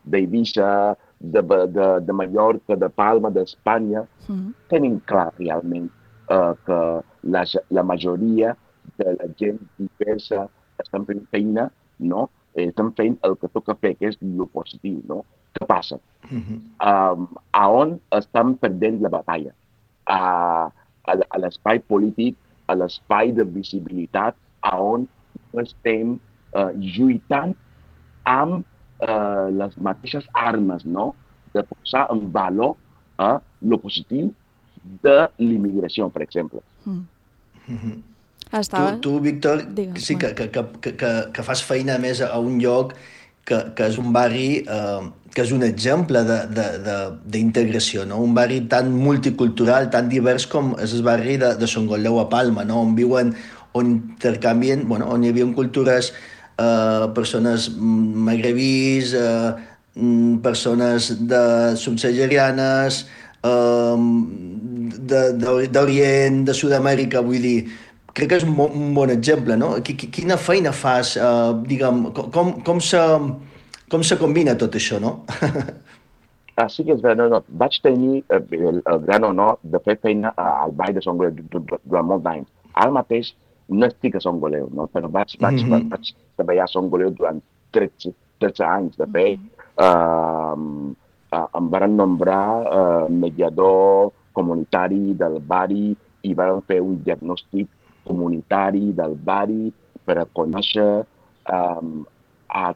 d'Eivissa, de, de, de, de Mallorca, de Palma, d'Espanya, mm. tenen clar realment uh, que la, la majoria de la gent diversa estan fent feina, no? Estan fent el que toca fer, que és el positiu. No? Què passa? Mm-hmm. Um, a on estan perdent la batalla? A, a, a l'espai polític, a l'espai de visibilitat, a on estem uh, lluitant amb uh, les mateixes armes, no? De posar en valor uh, el positiu de l'immigració, per exemple. Mm. Mm-hmm. Tu, tu, Víctor, Digues, sí que, que, que, que, que fas feina més a un lloc que, que és un barri eh, que és un exemple d'integració, no? Un barri tan multicultural, tan divers com és el barri de, de Songoleu a Palma, no? On viuen on intercanvien, bueno, on hi havia cultures, eh, persones magrebís, eh, persones de subsaharianes, eh, d'Orient, de, de Sud-amèrica, vull dir, crec que és un, un bon exemple, no? Quina feina fas, eh, diguem, com, com, se, com se combina tot això, no? Ah, sí que és veritat, no, no. Vaig tenir el, el gran honor de fer feina al Vall de Songoleu durant molt d'anys. Ara mateix no estic a Songoleu, no? Però vaig, vaig, mm-hmm. vaig treballar a Songoleu durant tretze, tretze anys de fer. Mm-hmm. uh, uh, em van nombrar uh, mediador comunitari del barri i van fer un diagnòstic comunitari del barri per a conèixer um, a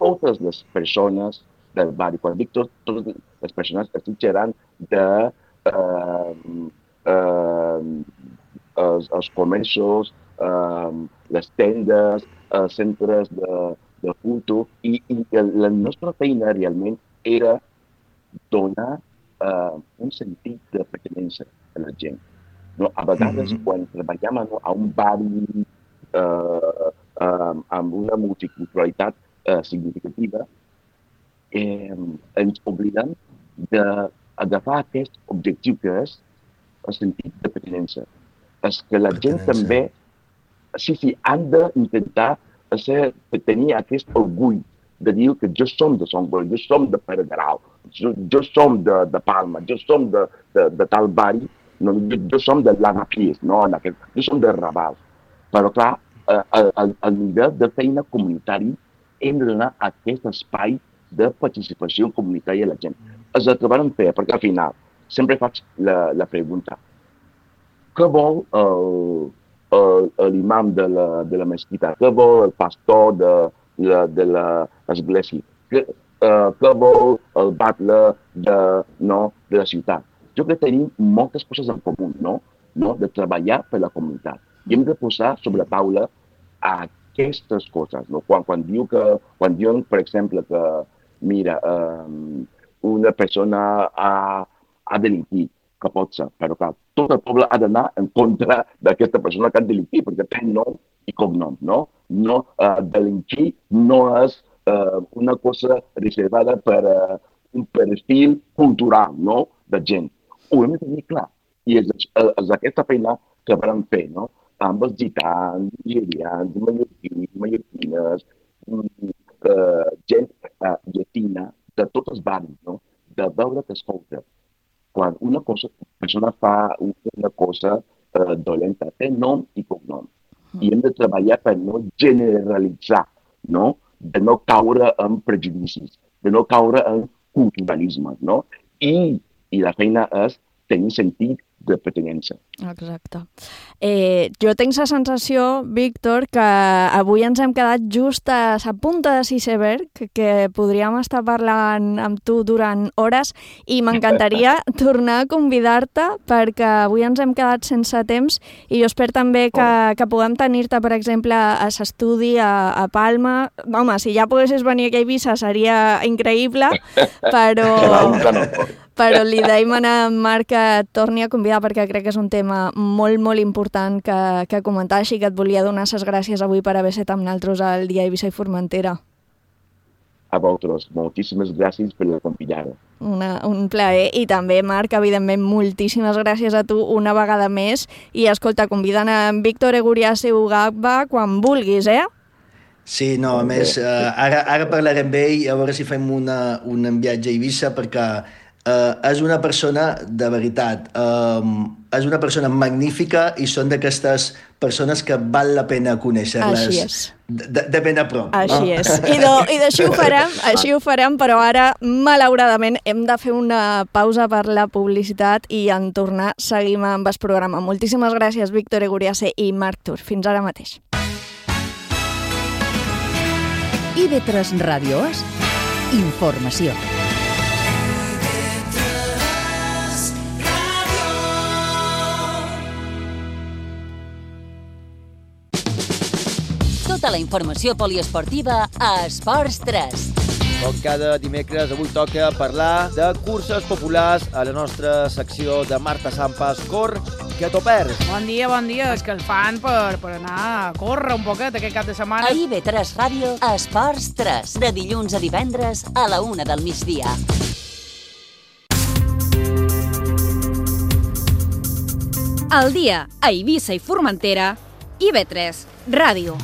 totes les persones del barri. Quan dic tot, totes les persones, estic xerrant de uh, uh, Els, els comerços, eh, les tendes, els centres de, de culto, i, i la nostra feina realment era donar eh, un sentit de pertinença a la gent. No? A vegades, mm-hmm. quan treballem a, a un barri eh, eh, amb una multiculturalitat eh, significativa, eh, ens oblidem d'agafar aquest objectiu que és el sentit de pertinença. És que la gent també, sí, sí, han d'intentar tenir aquest orgull de dir que jo som de Sant Boi, jo som de Pere Garau, jo, jo som de, de Palma, jo som de, de, de tal barri, no, jo, jo som de Lavapiés, no, en aquest, jo som de Raval. Però clar, al, al nivell de feina comunitari hem de donar aquest espai de participació comunitària a la gent. És el que vam fer, perquè al final sempre faig la, la pregunta. Què vol l'imam de, la, de la mesquita? Què vol el pastor de, la, de l'església? Què, uh, què vol el batlle de, no, de la ciutat? Jo crec que tenim moltes coses en comú, no? No? De treballar per la comunitat. I hem de posar sobre la taula aquestes coses. No? Quan, quan, diu que, quan diuen, per exemple, que mira, um, una persona ha, ha delinquit, que pot ser, però clar, tot el poble ha d'anar en contra d'aquesta persona que ha delinquit, perquè té nom i cognom, no? No, uh, delinquir no és uh, una cosa reservada per uh, un perfil cultural, no?, de gent. Ho hem de tenir clar. I és, és aquesta feina que vam fer, no?, amb els gitans, nigerians, mallorquins, mallorquines, uh, gent uh, llatina, de tots els barris, no?, de veure que escolta. Quan una cosa, persona fa una cosa eh, dolenta, té nom i cognom. I hem de treballar per no generalitzar, no? De no caure en prejudicis, de no caure en culturalisme, no? I, i la feina és tenir sentit de pertinença. Exacte. Eh, jo tinc la sensació, Víctor, que avui ens hem quedat just a la punta de l'iceberg, que, que podríem estar parlant amb tu durant hores i m'encantaria tornar a convidar-te perquè avui ens hem quedat sense temps i jo espero també que, que puguem tenir-te, per exemple, a l'estudi a, a Palma. Home, si ja poguessis venir aquí a Eivissa seria increïble, però... però li deim a Marc que et torni a convidar perquè crec que és un tema molt, molt important que, que comentar, així que et volia donar les gràcies avui per haver estat amb nosaltres al dia Eivissa i Formentera. A vosaltres, moltíssimes gràcies per la convidada. Una, un plaer. I també, Marc, evidentment, moltíssimes gràcies a tu una vegada més. I, escolta, convidant a Víctor Eguriase Ugaba quan vulguis, eh? Sí, no, a més, eh, ara, ara parlarem amb ell, a veure si fem una, un viatge a Eivissa, perquè Uh, és una persona de veritat, uh, és una persona magnífica i són d'aquestes persones que val la pena conèixer-les de, de ben a prop. Així no? és. I, do, i d'així ho farem, així ho farem, però ara, malauradament, hem de fer una pausa per la publicitat i en tornar seguim amb el programa. Moltíssimes gràcies, Víctor Eguriase i Marc Tur. Fins ara mateix. I ve tres Ràdio és informació. Tota la informació poliesportiva a Esports tres. Com cada dimecres, avui toca parlar de curses populars a la nostra secció de Marta Sampas. Cor, que t'ho perds. Bon dia, bon dia. És que el fan per, per anar a córrer un poquet aquest cap de setmana. A I V tres Ràdio, Esports tres. De dilluns a divendres a la una del migdia. Al dia, a Eivissa i Formentera, I V tres Ràdio.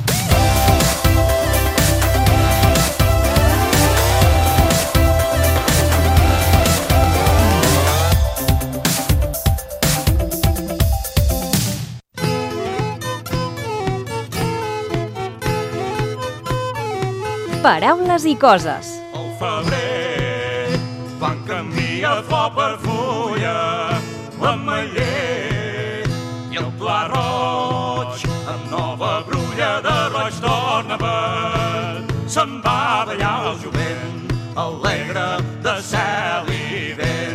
Paraules i coses. Al febrer van canviar flor per fulla, l'ametller i el pla roig, amb nova brulla de roig torna verd. Se'n va ballar el jovent, alegre de cel i vent.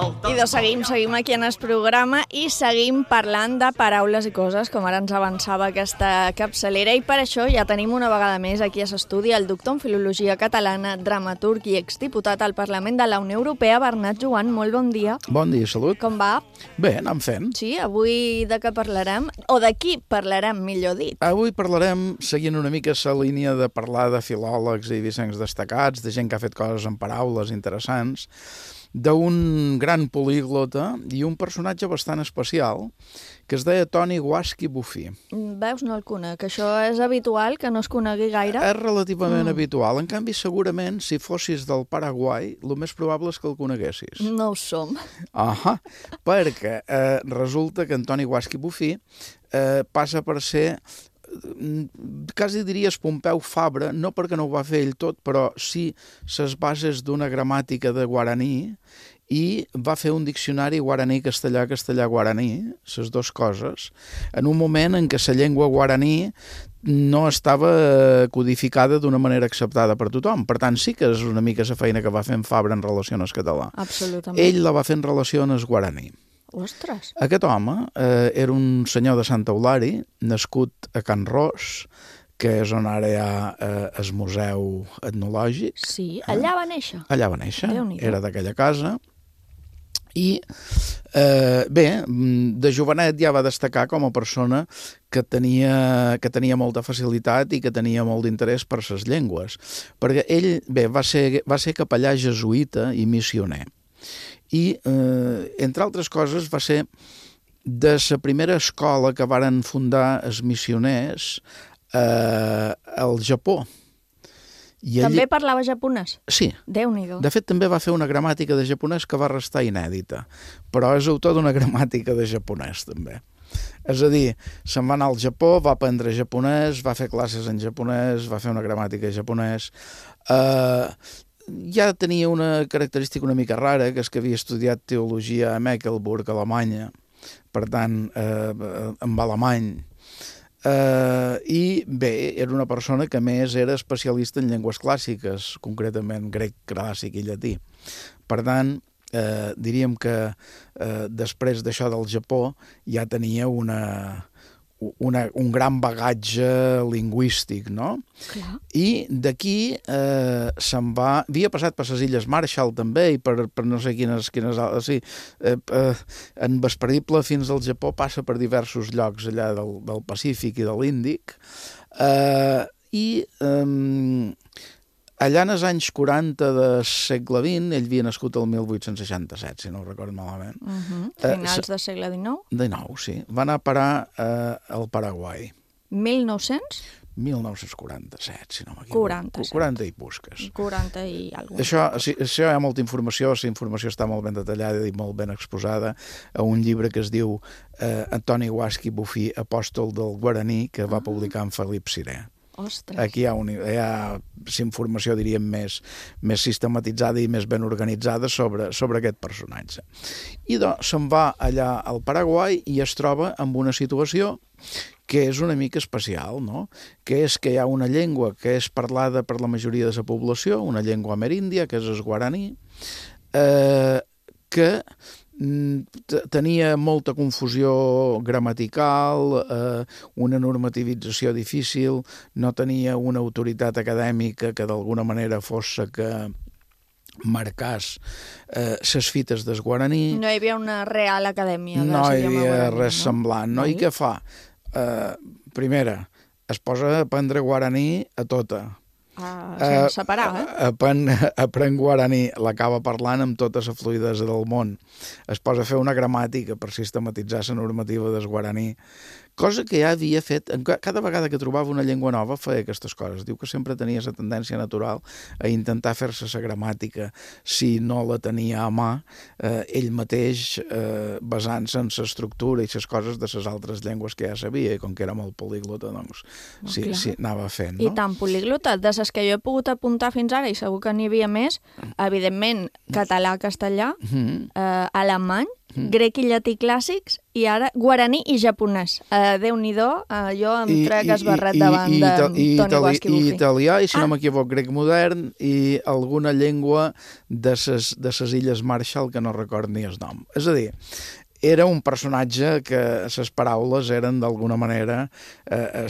I doncs seguim, seguim aquí en el programa i seguim parlant de paraules i coses, com ara ens avançava aquesta capçalera, i per això ja tenim una vegada més aquí a l'estudi el doctor en Filologia Catalana, dramaturg i exdiputat al Parlament de la Unió Europea, Bernat Joan. Molt bon dia. Bon dia, salut. Com va? Bé, anem fent. Sí, avui de què parlarem? O de qui parlarem, millor dit? Avui parlarem, seguint una mica la línia de parlar de filòlegs i vicencs destacats, de gent que ha fet coses en paraules interessants. d'un gran políglota i un personatge bastant especial que es deia Toni Guaschi Bofill. Veus, no el conec. Això és habitual, que no es conegui gaire? És relativament mm. habitual. En canvi, segurament, si fossis del Paraguai, el més probable és que el coneguessis. No ho som. Ahà, perquè eh, resulta que en Toni Guaschi Bofill eh, passa per ser, quasi diries Pompeu Fabra, no perquè no ho va fer ell tot, però sí les bases d'una gramàtica de guaraní, i va fer un diccionari guaraní-castellà, castellà-guaraní, les dues coses, en un moment en què la llengua guaraní no estava codificada d'una manera acceptada per tothom. Per tant, sí que és una mica la feina que va fer en Fabra en relació al català. Absolutament. Ell la va fer en relació al guaraní. Ostres! Aquest home eh, era un senyor de Sant Eulari, nascut a Can Ros, que és on ara hi ha eh, el museu etnològic. Sí, allà va néixer. Allà va néixer, Déu-n'hi-do. era d'aquella casa. I, eh, bé, de jovenet ja va destacar com a persona que tenia, que tenia molta facilitat i que tenia molt d'interès per les llengües. Perquè ell, bé, va ser, va ser capellà jesuïta i missioner. I, eh, entre altres coses, va ser de la primera escola que varen fundar els missioners eh, al Japó. I també ell... parlava japonès? Sí. Déu-n'hi-do. De fet, també va fer una gramàtica de japonès que va restar inèdita, però és autor d'una gramàtica de japonès, també. És a dir, se'n va anar al Japó, va aprendre japonès, va fer classes en japonès, va fer una gramàtica de japonès. Eh, ja tenia una característica una mica rara, que és que havia estudiat teologia a Mecklenburg, Alemanya, per tant, eh, amb alemany. Uh, i bé, era una persona que més era especialista en llengües clàssiques, concretament grec clàssic i llatí. Per tant, eh, diríem que eh, després d'això del Japó ja tenia una, una, un gran bagatge lingüístic, no? Clar. I d'aquí eh, se'n va... Havia passat per les Illes Marshall també i per, per no sé quines... quines sí, eh, eh, en Vesperdible fins al Japó passa per diversos llocs allà del, del Pacífic i de l'Índic. Eh, I eh, allà en els anys quaranta del segle vint, ell havia nascut el mil vuit-cents seixanta-set, si no ho recordo malament. Uh -huh. Finals eh, del segle dinou? dinou, sí. Va anar a parar eh, al Paraguai. mil nou-cents? mil nou-cents quaranta-set, si no m'equivoco. quaranta-set. quaranta i busques. quaranta i alguna cosa. Això, sí, això hi ha molta informació, la informació està molt ben detallada i molt ben exposada a un llibre que es diu eh, Toni Guaschi Bofill, apòstol del guaraní, que va publicar en Felip Siré. Ostres. Aquí hi ha, un, hi ha informació, diríem, més, més sistematitzada i més ben organitzada sobre, sobre aquest personatge. I doncs se'n va allà al Paraguai i es troba amb una situació que és una mica especial, no? Que és que hi ha una llengua que és parlada per la majoria de la població, una llengua ameríndia, que és el guaraní, eh, que tenia molta confusió gramatical, eh, una normativització difícil, no tenia una autoritat acadèmica que d'alguna manera fos que marcàs eh, ses fites del guaraní. No hi havia una real acadèmia. No hi havia res semblant, no? I què fa? Eh, primera, es posa a aprendre guaraní a tota. Ah, sense parar, eh? Aprèn, aprèn guaraní, l'acaba parlant amb tota la fluïdesa del món. Es posa a fer una gramàtica per sistematitzar la normativa del guaraní, cosa que ja havia fet, cada vegada que trobava una llengua nova feia aquestes coses. Diu que sempre tenia la tendència natural a intentar fer-se la gramàtica, si no la tenia a mà, eh, ell mateix, eh, basant-se en l'estructura i les coses de les altres llengües que ja sabia, i com que era molt políglota, doncs Oh, sí, clar. sí, anava fent, I no? tan políglota, de les que jo he pogut apuntar fins ara, i segur que n'hi havia més, evidentment, català, castellà, Mm. eh, alemany, grec i llatí clàssics, i ara guaraní i japonès. Eh, Déu-n'hi-do, eh, jo em trec el barret davant i, de i, Toni Guaschi i Bofill. italià, i si Ah. no m'equivoc, grec modern, i alguna llengua de ses, de ses Illes Marshall que no record ni el nom. És a dir, era un personatge que les paraules eren d'alguna manera eh, el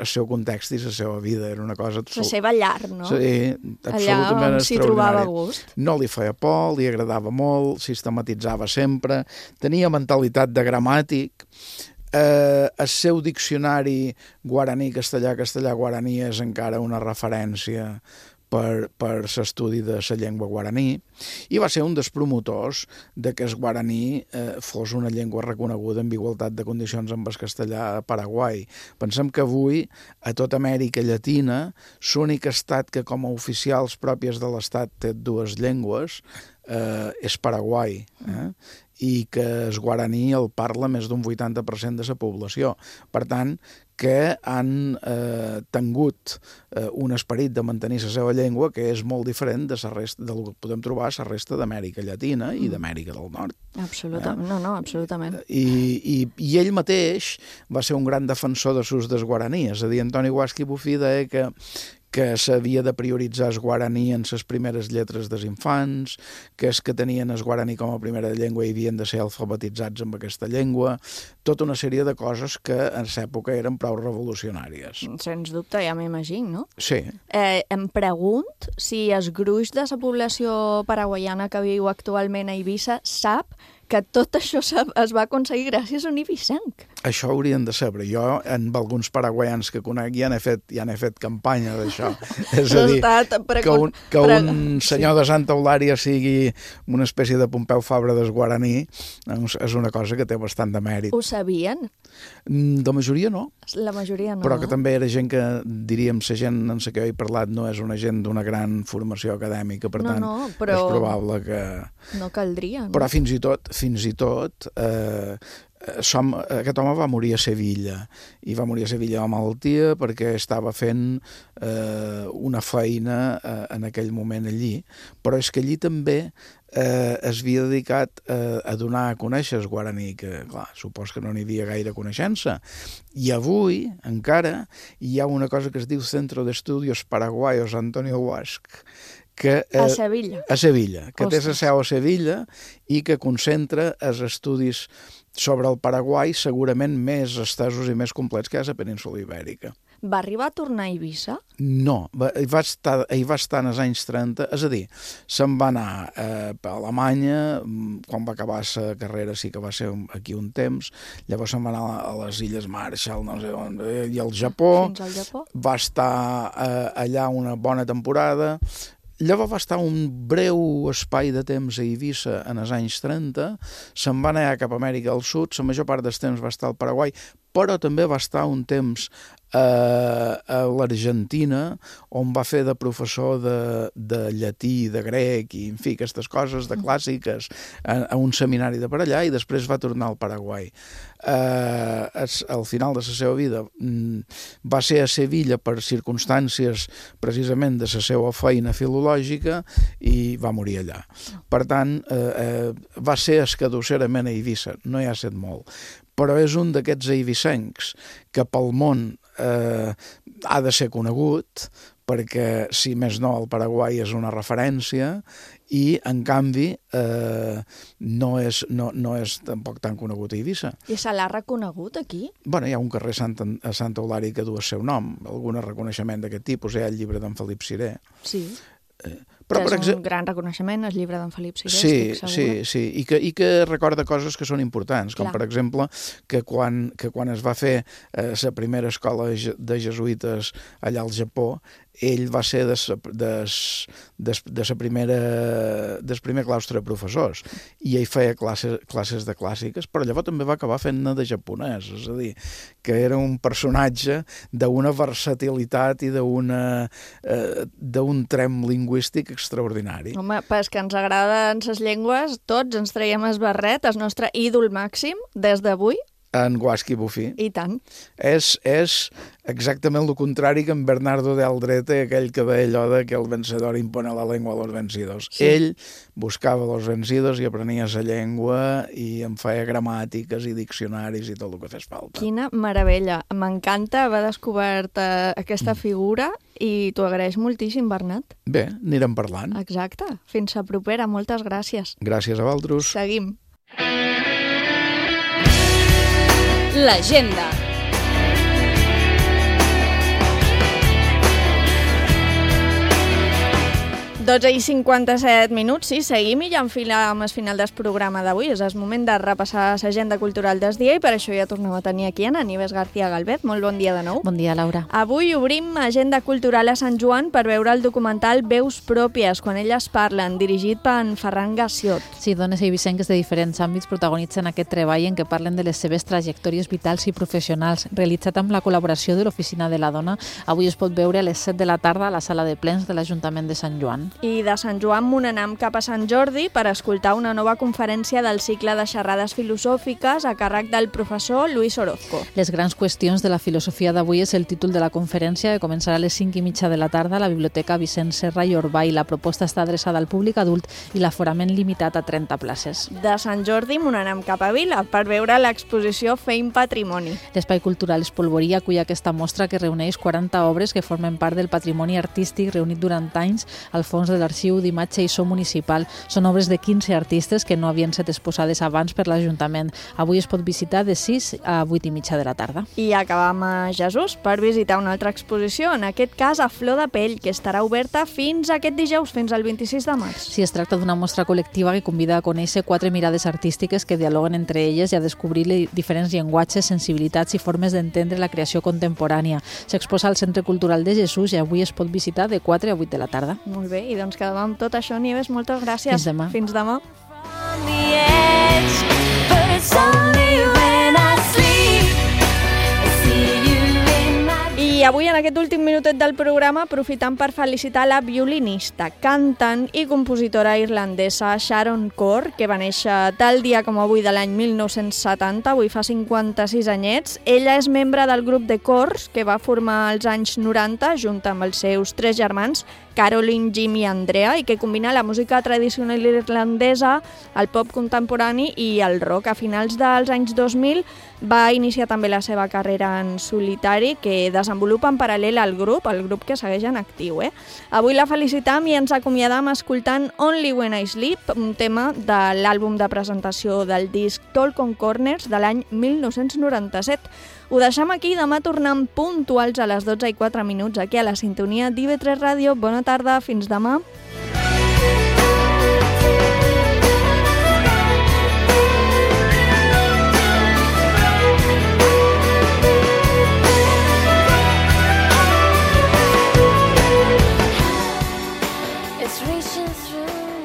seu context i la seva vida. Era una cosa... La seva llar, no? Sí, absolutament allà on s'hi trobava extraordinària. a gust. No li feia por, li agradava molt, sistematitzava sempre, tenia mentalitat de gramàtic. Eh, el seu diccionari guaraní, castellà, castellà, guaraní és encara una referència per, per l'estudi de la llengua guaraní, i va ser un dels promotors de que el guaraní eh, fos una llengua reconeguda en igualtat de condicions amb el castellà a Paraguai. Pensem que avui, a tota Amèrica Llatina, l'únic estat que com a oficials pròpies de l'estat té dues llengües eh, és Paraguai, eh? i que el guaraní el parla més d'un vuitanta per cent de la població. Per tant, que han eh, tingut eh, un esperit de mantenir la seva llengua que és molt diferent de la resta, del que podem trobar a la resta d'Amèrica Llatina i d'Amèrica del Nord. Absolutament, eh? no, no, absolutament. I, i, I ell mateix va ser un gran defensor de l'ús del guaraní, és a dir, Antoni Guaschi Bofill deia que que s'havia de prioritzar el guaraní en les primeres lletres dels infants, que és que tenien el guaraní com a primera llengua i havien de ser alfabetitzats amb aquesta llengua, tota una sèrie de coses que en l'època eren prou revolucionàries. Sens dubte, ja m'imagino, no? Sí. Eh, em pregunt si el gruix de la població paraguaiana que viu actualment a Eivissa sap que tot això es va aconseguir gràcies a un eivissenc. Això haurien de saber. Jo, amb alguns paraguaians que conec, ja n'he fet, ja n'he fet campanya d'això. És a dir, que un, que un senyor de Santa Eulària sigui una espècie de Pompeu Fabra del guaraní és una cosa que té bastant de mèrit. Ho sabien? De majoria no. La majoria no. Però que també era gent que, diríem, la gent en la que he parlat no és una gent d'una gran formació acadèmica, per no, tant, no, però és probable que... No caldria. No? Però fins i tot, fins i tot, eh, som, aquest home va morir a Sevilla, i va morir a Sevilla de malaltia perquè estava fent eh, una feina eh, en aquell moment allí, però és que allí també eh, es havia dedicat eh, a donar a conèixer el guaraní, que clar, supos que no n'hi havia gaire coneixença, i avui encara hi ha una cosa que es diu Centro de Estudios Paraguayos Antonio Guaschi, que, eh, a Sevilla. A Sevilla, que Ostres. té la seu a Sevilla i que concentra els estudis sobre el Paraguai segurament més estesos i més complets que hi ha a la península Ibèrica. Va arribar a tornar a Eivissa? No, va, hi, va estar, hi va estar en els anys trenta, és a dir, se'n va anar eh, a Alemanya, quan va acabar la carrera sí que va ser aquí un temps, llavors se'n va anar a les Illes Marshall, no sé on, i al Japó, Fins al Japó. Va estar eh, allà una bona temporada. Llavors va estar un breu espai de temps a Eivissa en els anys trenta, se'n va anar cap a Amèrica del Sud, la major part del temps va estar al Paraguai, però també va estar un temps a, a l'Argentina, on va fer de professor de, de llatí, de grec, i en fi, aquestes coses de clàssiques, a, a un seminari de per allà, i després va tornar al Paraguai. Uh, al final de la seva vida va ser a Sevilla per circumstàncies precisament de la seva feina filològica i va morir allà. Per tant, uh, uh, va ser escadusserament a Eivissa, no hi ha set molt, però és un d'aquests eivissencs que pel món eh, ha de ser conegut, perquè, si més no, el Paraguai és una referència i, en canvi, eh, no, és, no, no és tampoc tan conegut a Eivissa. I se l'ha reconegut aquí? Bueno, hi ha un carrer Sant, a Santa Eulària que du el seu nom, algun reconeixement d'aquest tipus, hi ha el llibre d'en Felip Siré. Sí. Eh, Però, que és un gran reconeixement, el llibre d'en Felip Siré, sí, estic segura. Sí, sí, i que, i que recorda coses que són importants, com Clar. Per exemple que quan, que quan es va fer eh, la primera escola de jesuïtes allà al Japó, ell va ser de sa, de, de, de sa primera, del primer claustre de professors, i ell feia classes, classes de clàssiques, però llavors també va acabar fent-ne de japonès, és a dir, que era un personatge d'una versatilitat i d'una eh, d'un trem lingüístic extraordinari. Home, pues que ens agraden les llengües, tots ens traiem el barret, el nostre ídol màxim, des d'avui. En Guaschi Bofill. I tant. És, és exactament el contrari que en Bernardo de Aldrete, aquell que deia allò de que el vencedor impone la llengua a los vencidos. Sí. Ell buscava los vencidos i aprenia la llengua i en feia gramàtiques i diccionaris i tot el que fes falta. Quina meravella. M'encanta haver descobert uh, aquesta mm. figura i t'ho agraeix moltíssim, Bernat. Bé, anirem parlant. Exacte. Fins a propera. Moltes gràcies. Gràcies a vosaltres. Seguim. L'agenda. dotze i cinquanta-set minuts, sí, seguim i ja enfilem el final del programa d'avui. És el moment de repassar l'agenda cultural del dia i per això ja tornem a tenir aquí a Nieves García Galvez. Molt bon dia de nou. Bon dia, Laura. Avui obrim agenda cultural a Sant Joan per veure el documental Veus pròpies, quan elles parlen, dirigit per en Ferran Gassiot. Sí, dones i eivissenques de diferents àmbits protagonitzen aquest treball en què parlen de les seves trajectòries vitals i professionals, realitzat amb la col·laboració de l'Oficina de la Dona. Avui es pot veure a les set de la tarda a la sala de plens de l'Ajuntament de Sant Joan. I de Sant Joan me n'anem cap a Sant Jordi per escoltar una nova conferència del cicle de xerrades filosòfiques a càrrec del professor Luis Orozco. Les grans qüestions de la filosofia d'avui és el títol de la conferència, que començarà a les cinc i mitja de la tarda a la Biblioteca Vicent Serra i Orbà, i la proposta està adreçada al públic adult i l'aforament limitat a trenta places. De Sant Jordi me n'anem cap a Vila per veure l'exposició Feim Patrimoni. L'Espai Cultural Espolvorí acull aquesta mostra que reuneix quaranta obres que formen part del patrimoni artístic reunit durant anys al fons de l'Arxiu d'Imatge i So Municipal. Són obres de quinze artistes que no havien estat exposades abans per l'Ajuntament. Avui es pot visitar de sis a vuit i mitja de la tarda. I acabam a Jesús per visitar una altra exposició, en aquest cas a Flor de Pell, que estarà oberta fins aquest dijous, fins al vint-i-sis de març. Sí, es tracta d'una mostra col·lectiva que convida a conèixer quatre mirades artístiques que dialoguen entre elles i a descobrir diferents llenguatges, sensibilitats i formes d'entendre la creació contemporània. S'exposa al Centre Cultural de Jesús i avui es pot visitar de quatre a vuit de la tarda. Molt bé, i doncs quedem amb tot això, Nieves. Moltes gràcies. Fins demà. Fins demà. I avui, en aquest últim minutet del programa, aprofitant per felicitar la violinista, cantant i compositora irlandesa Sharon Corr, que va néixer tal dia com avui de l'any mil nou-cents setanta, avui fa cinquanta-sis anyets. Ella és membre del grup de Corrs, que va formar als anys noranta, junt amb els seus tres germans, Caroline, Jim i Andrea, i que combina la música tradicional irlandesa, el pop contemporani i el rock. A finals dels anys dos mil va iniciar també la seva carrera en solitari, que desenvolupa en paral·lel al grup, el grup que segueix en actiu. Eh? Avui la felicitam i ens acomiadam escoltant Only When I Sleep, un tema de l'àlbum de presentació del disc Talk on Corners de l'any mil nou-cents noranta-set. Ho deixem aquí, demà tornem puntuals a les dotze i quatre minuts aquí a la sintonia d'I V tres Ràdio. Bona tarda, fins demà. It's reaching through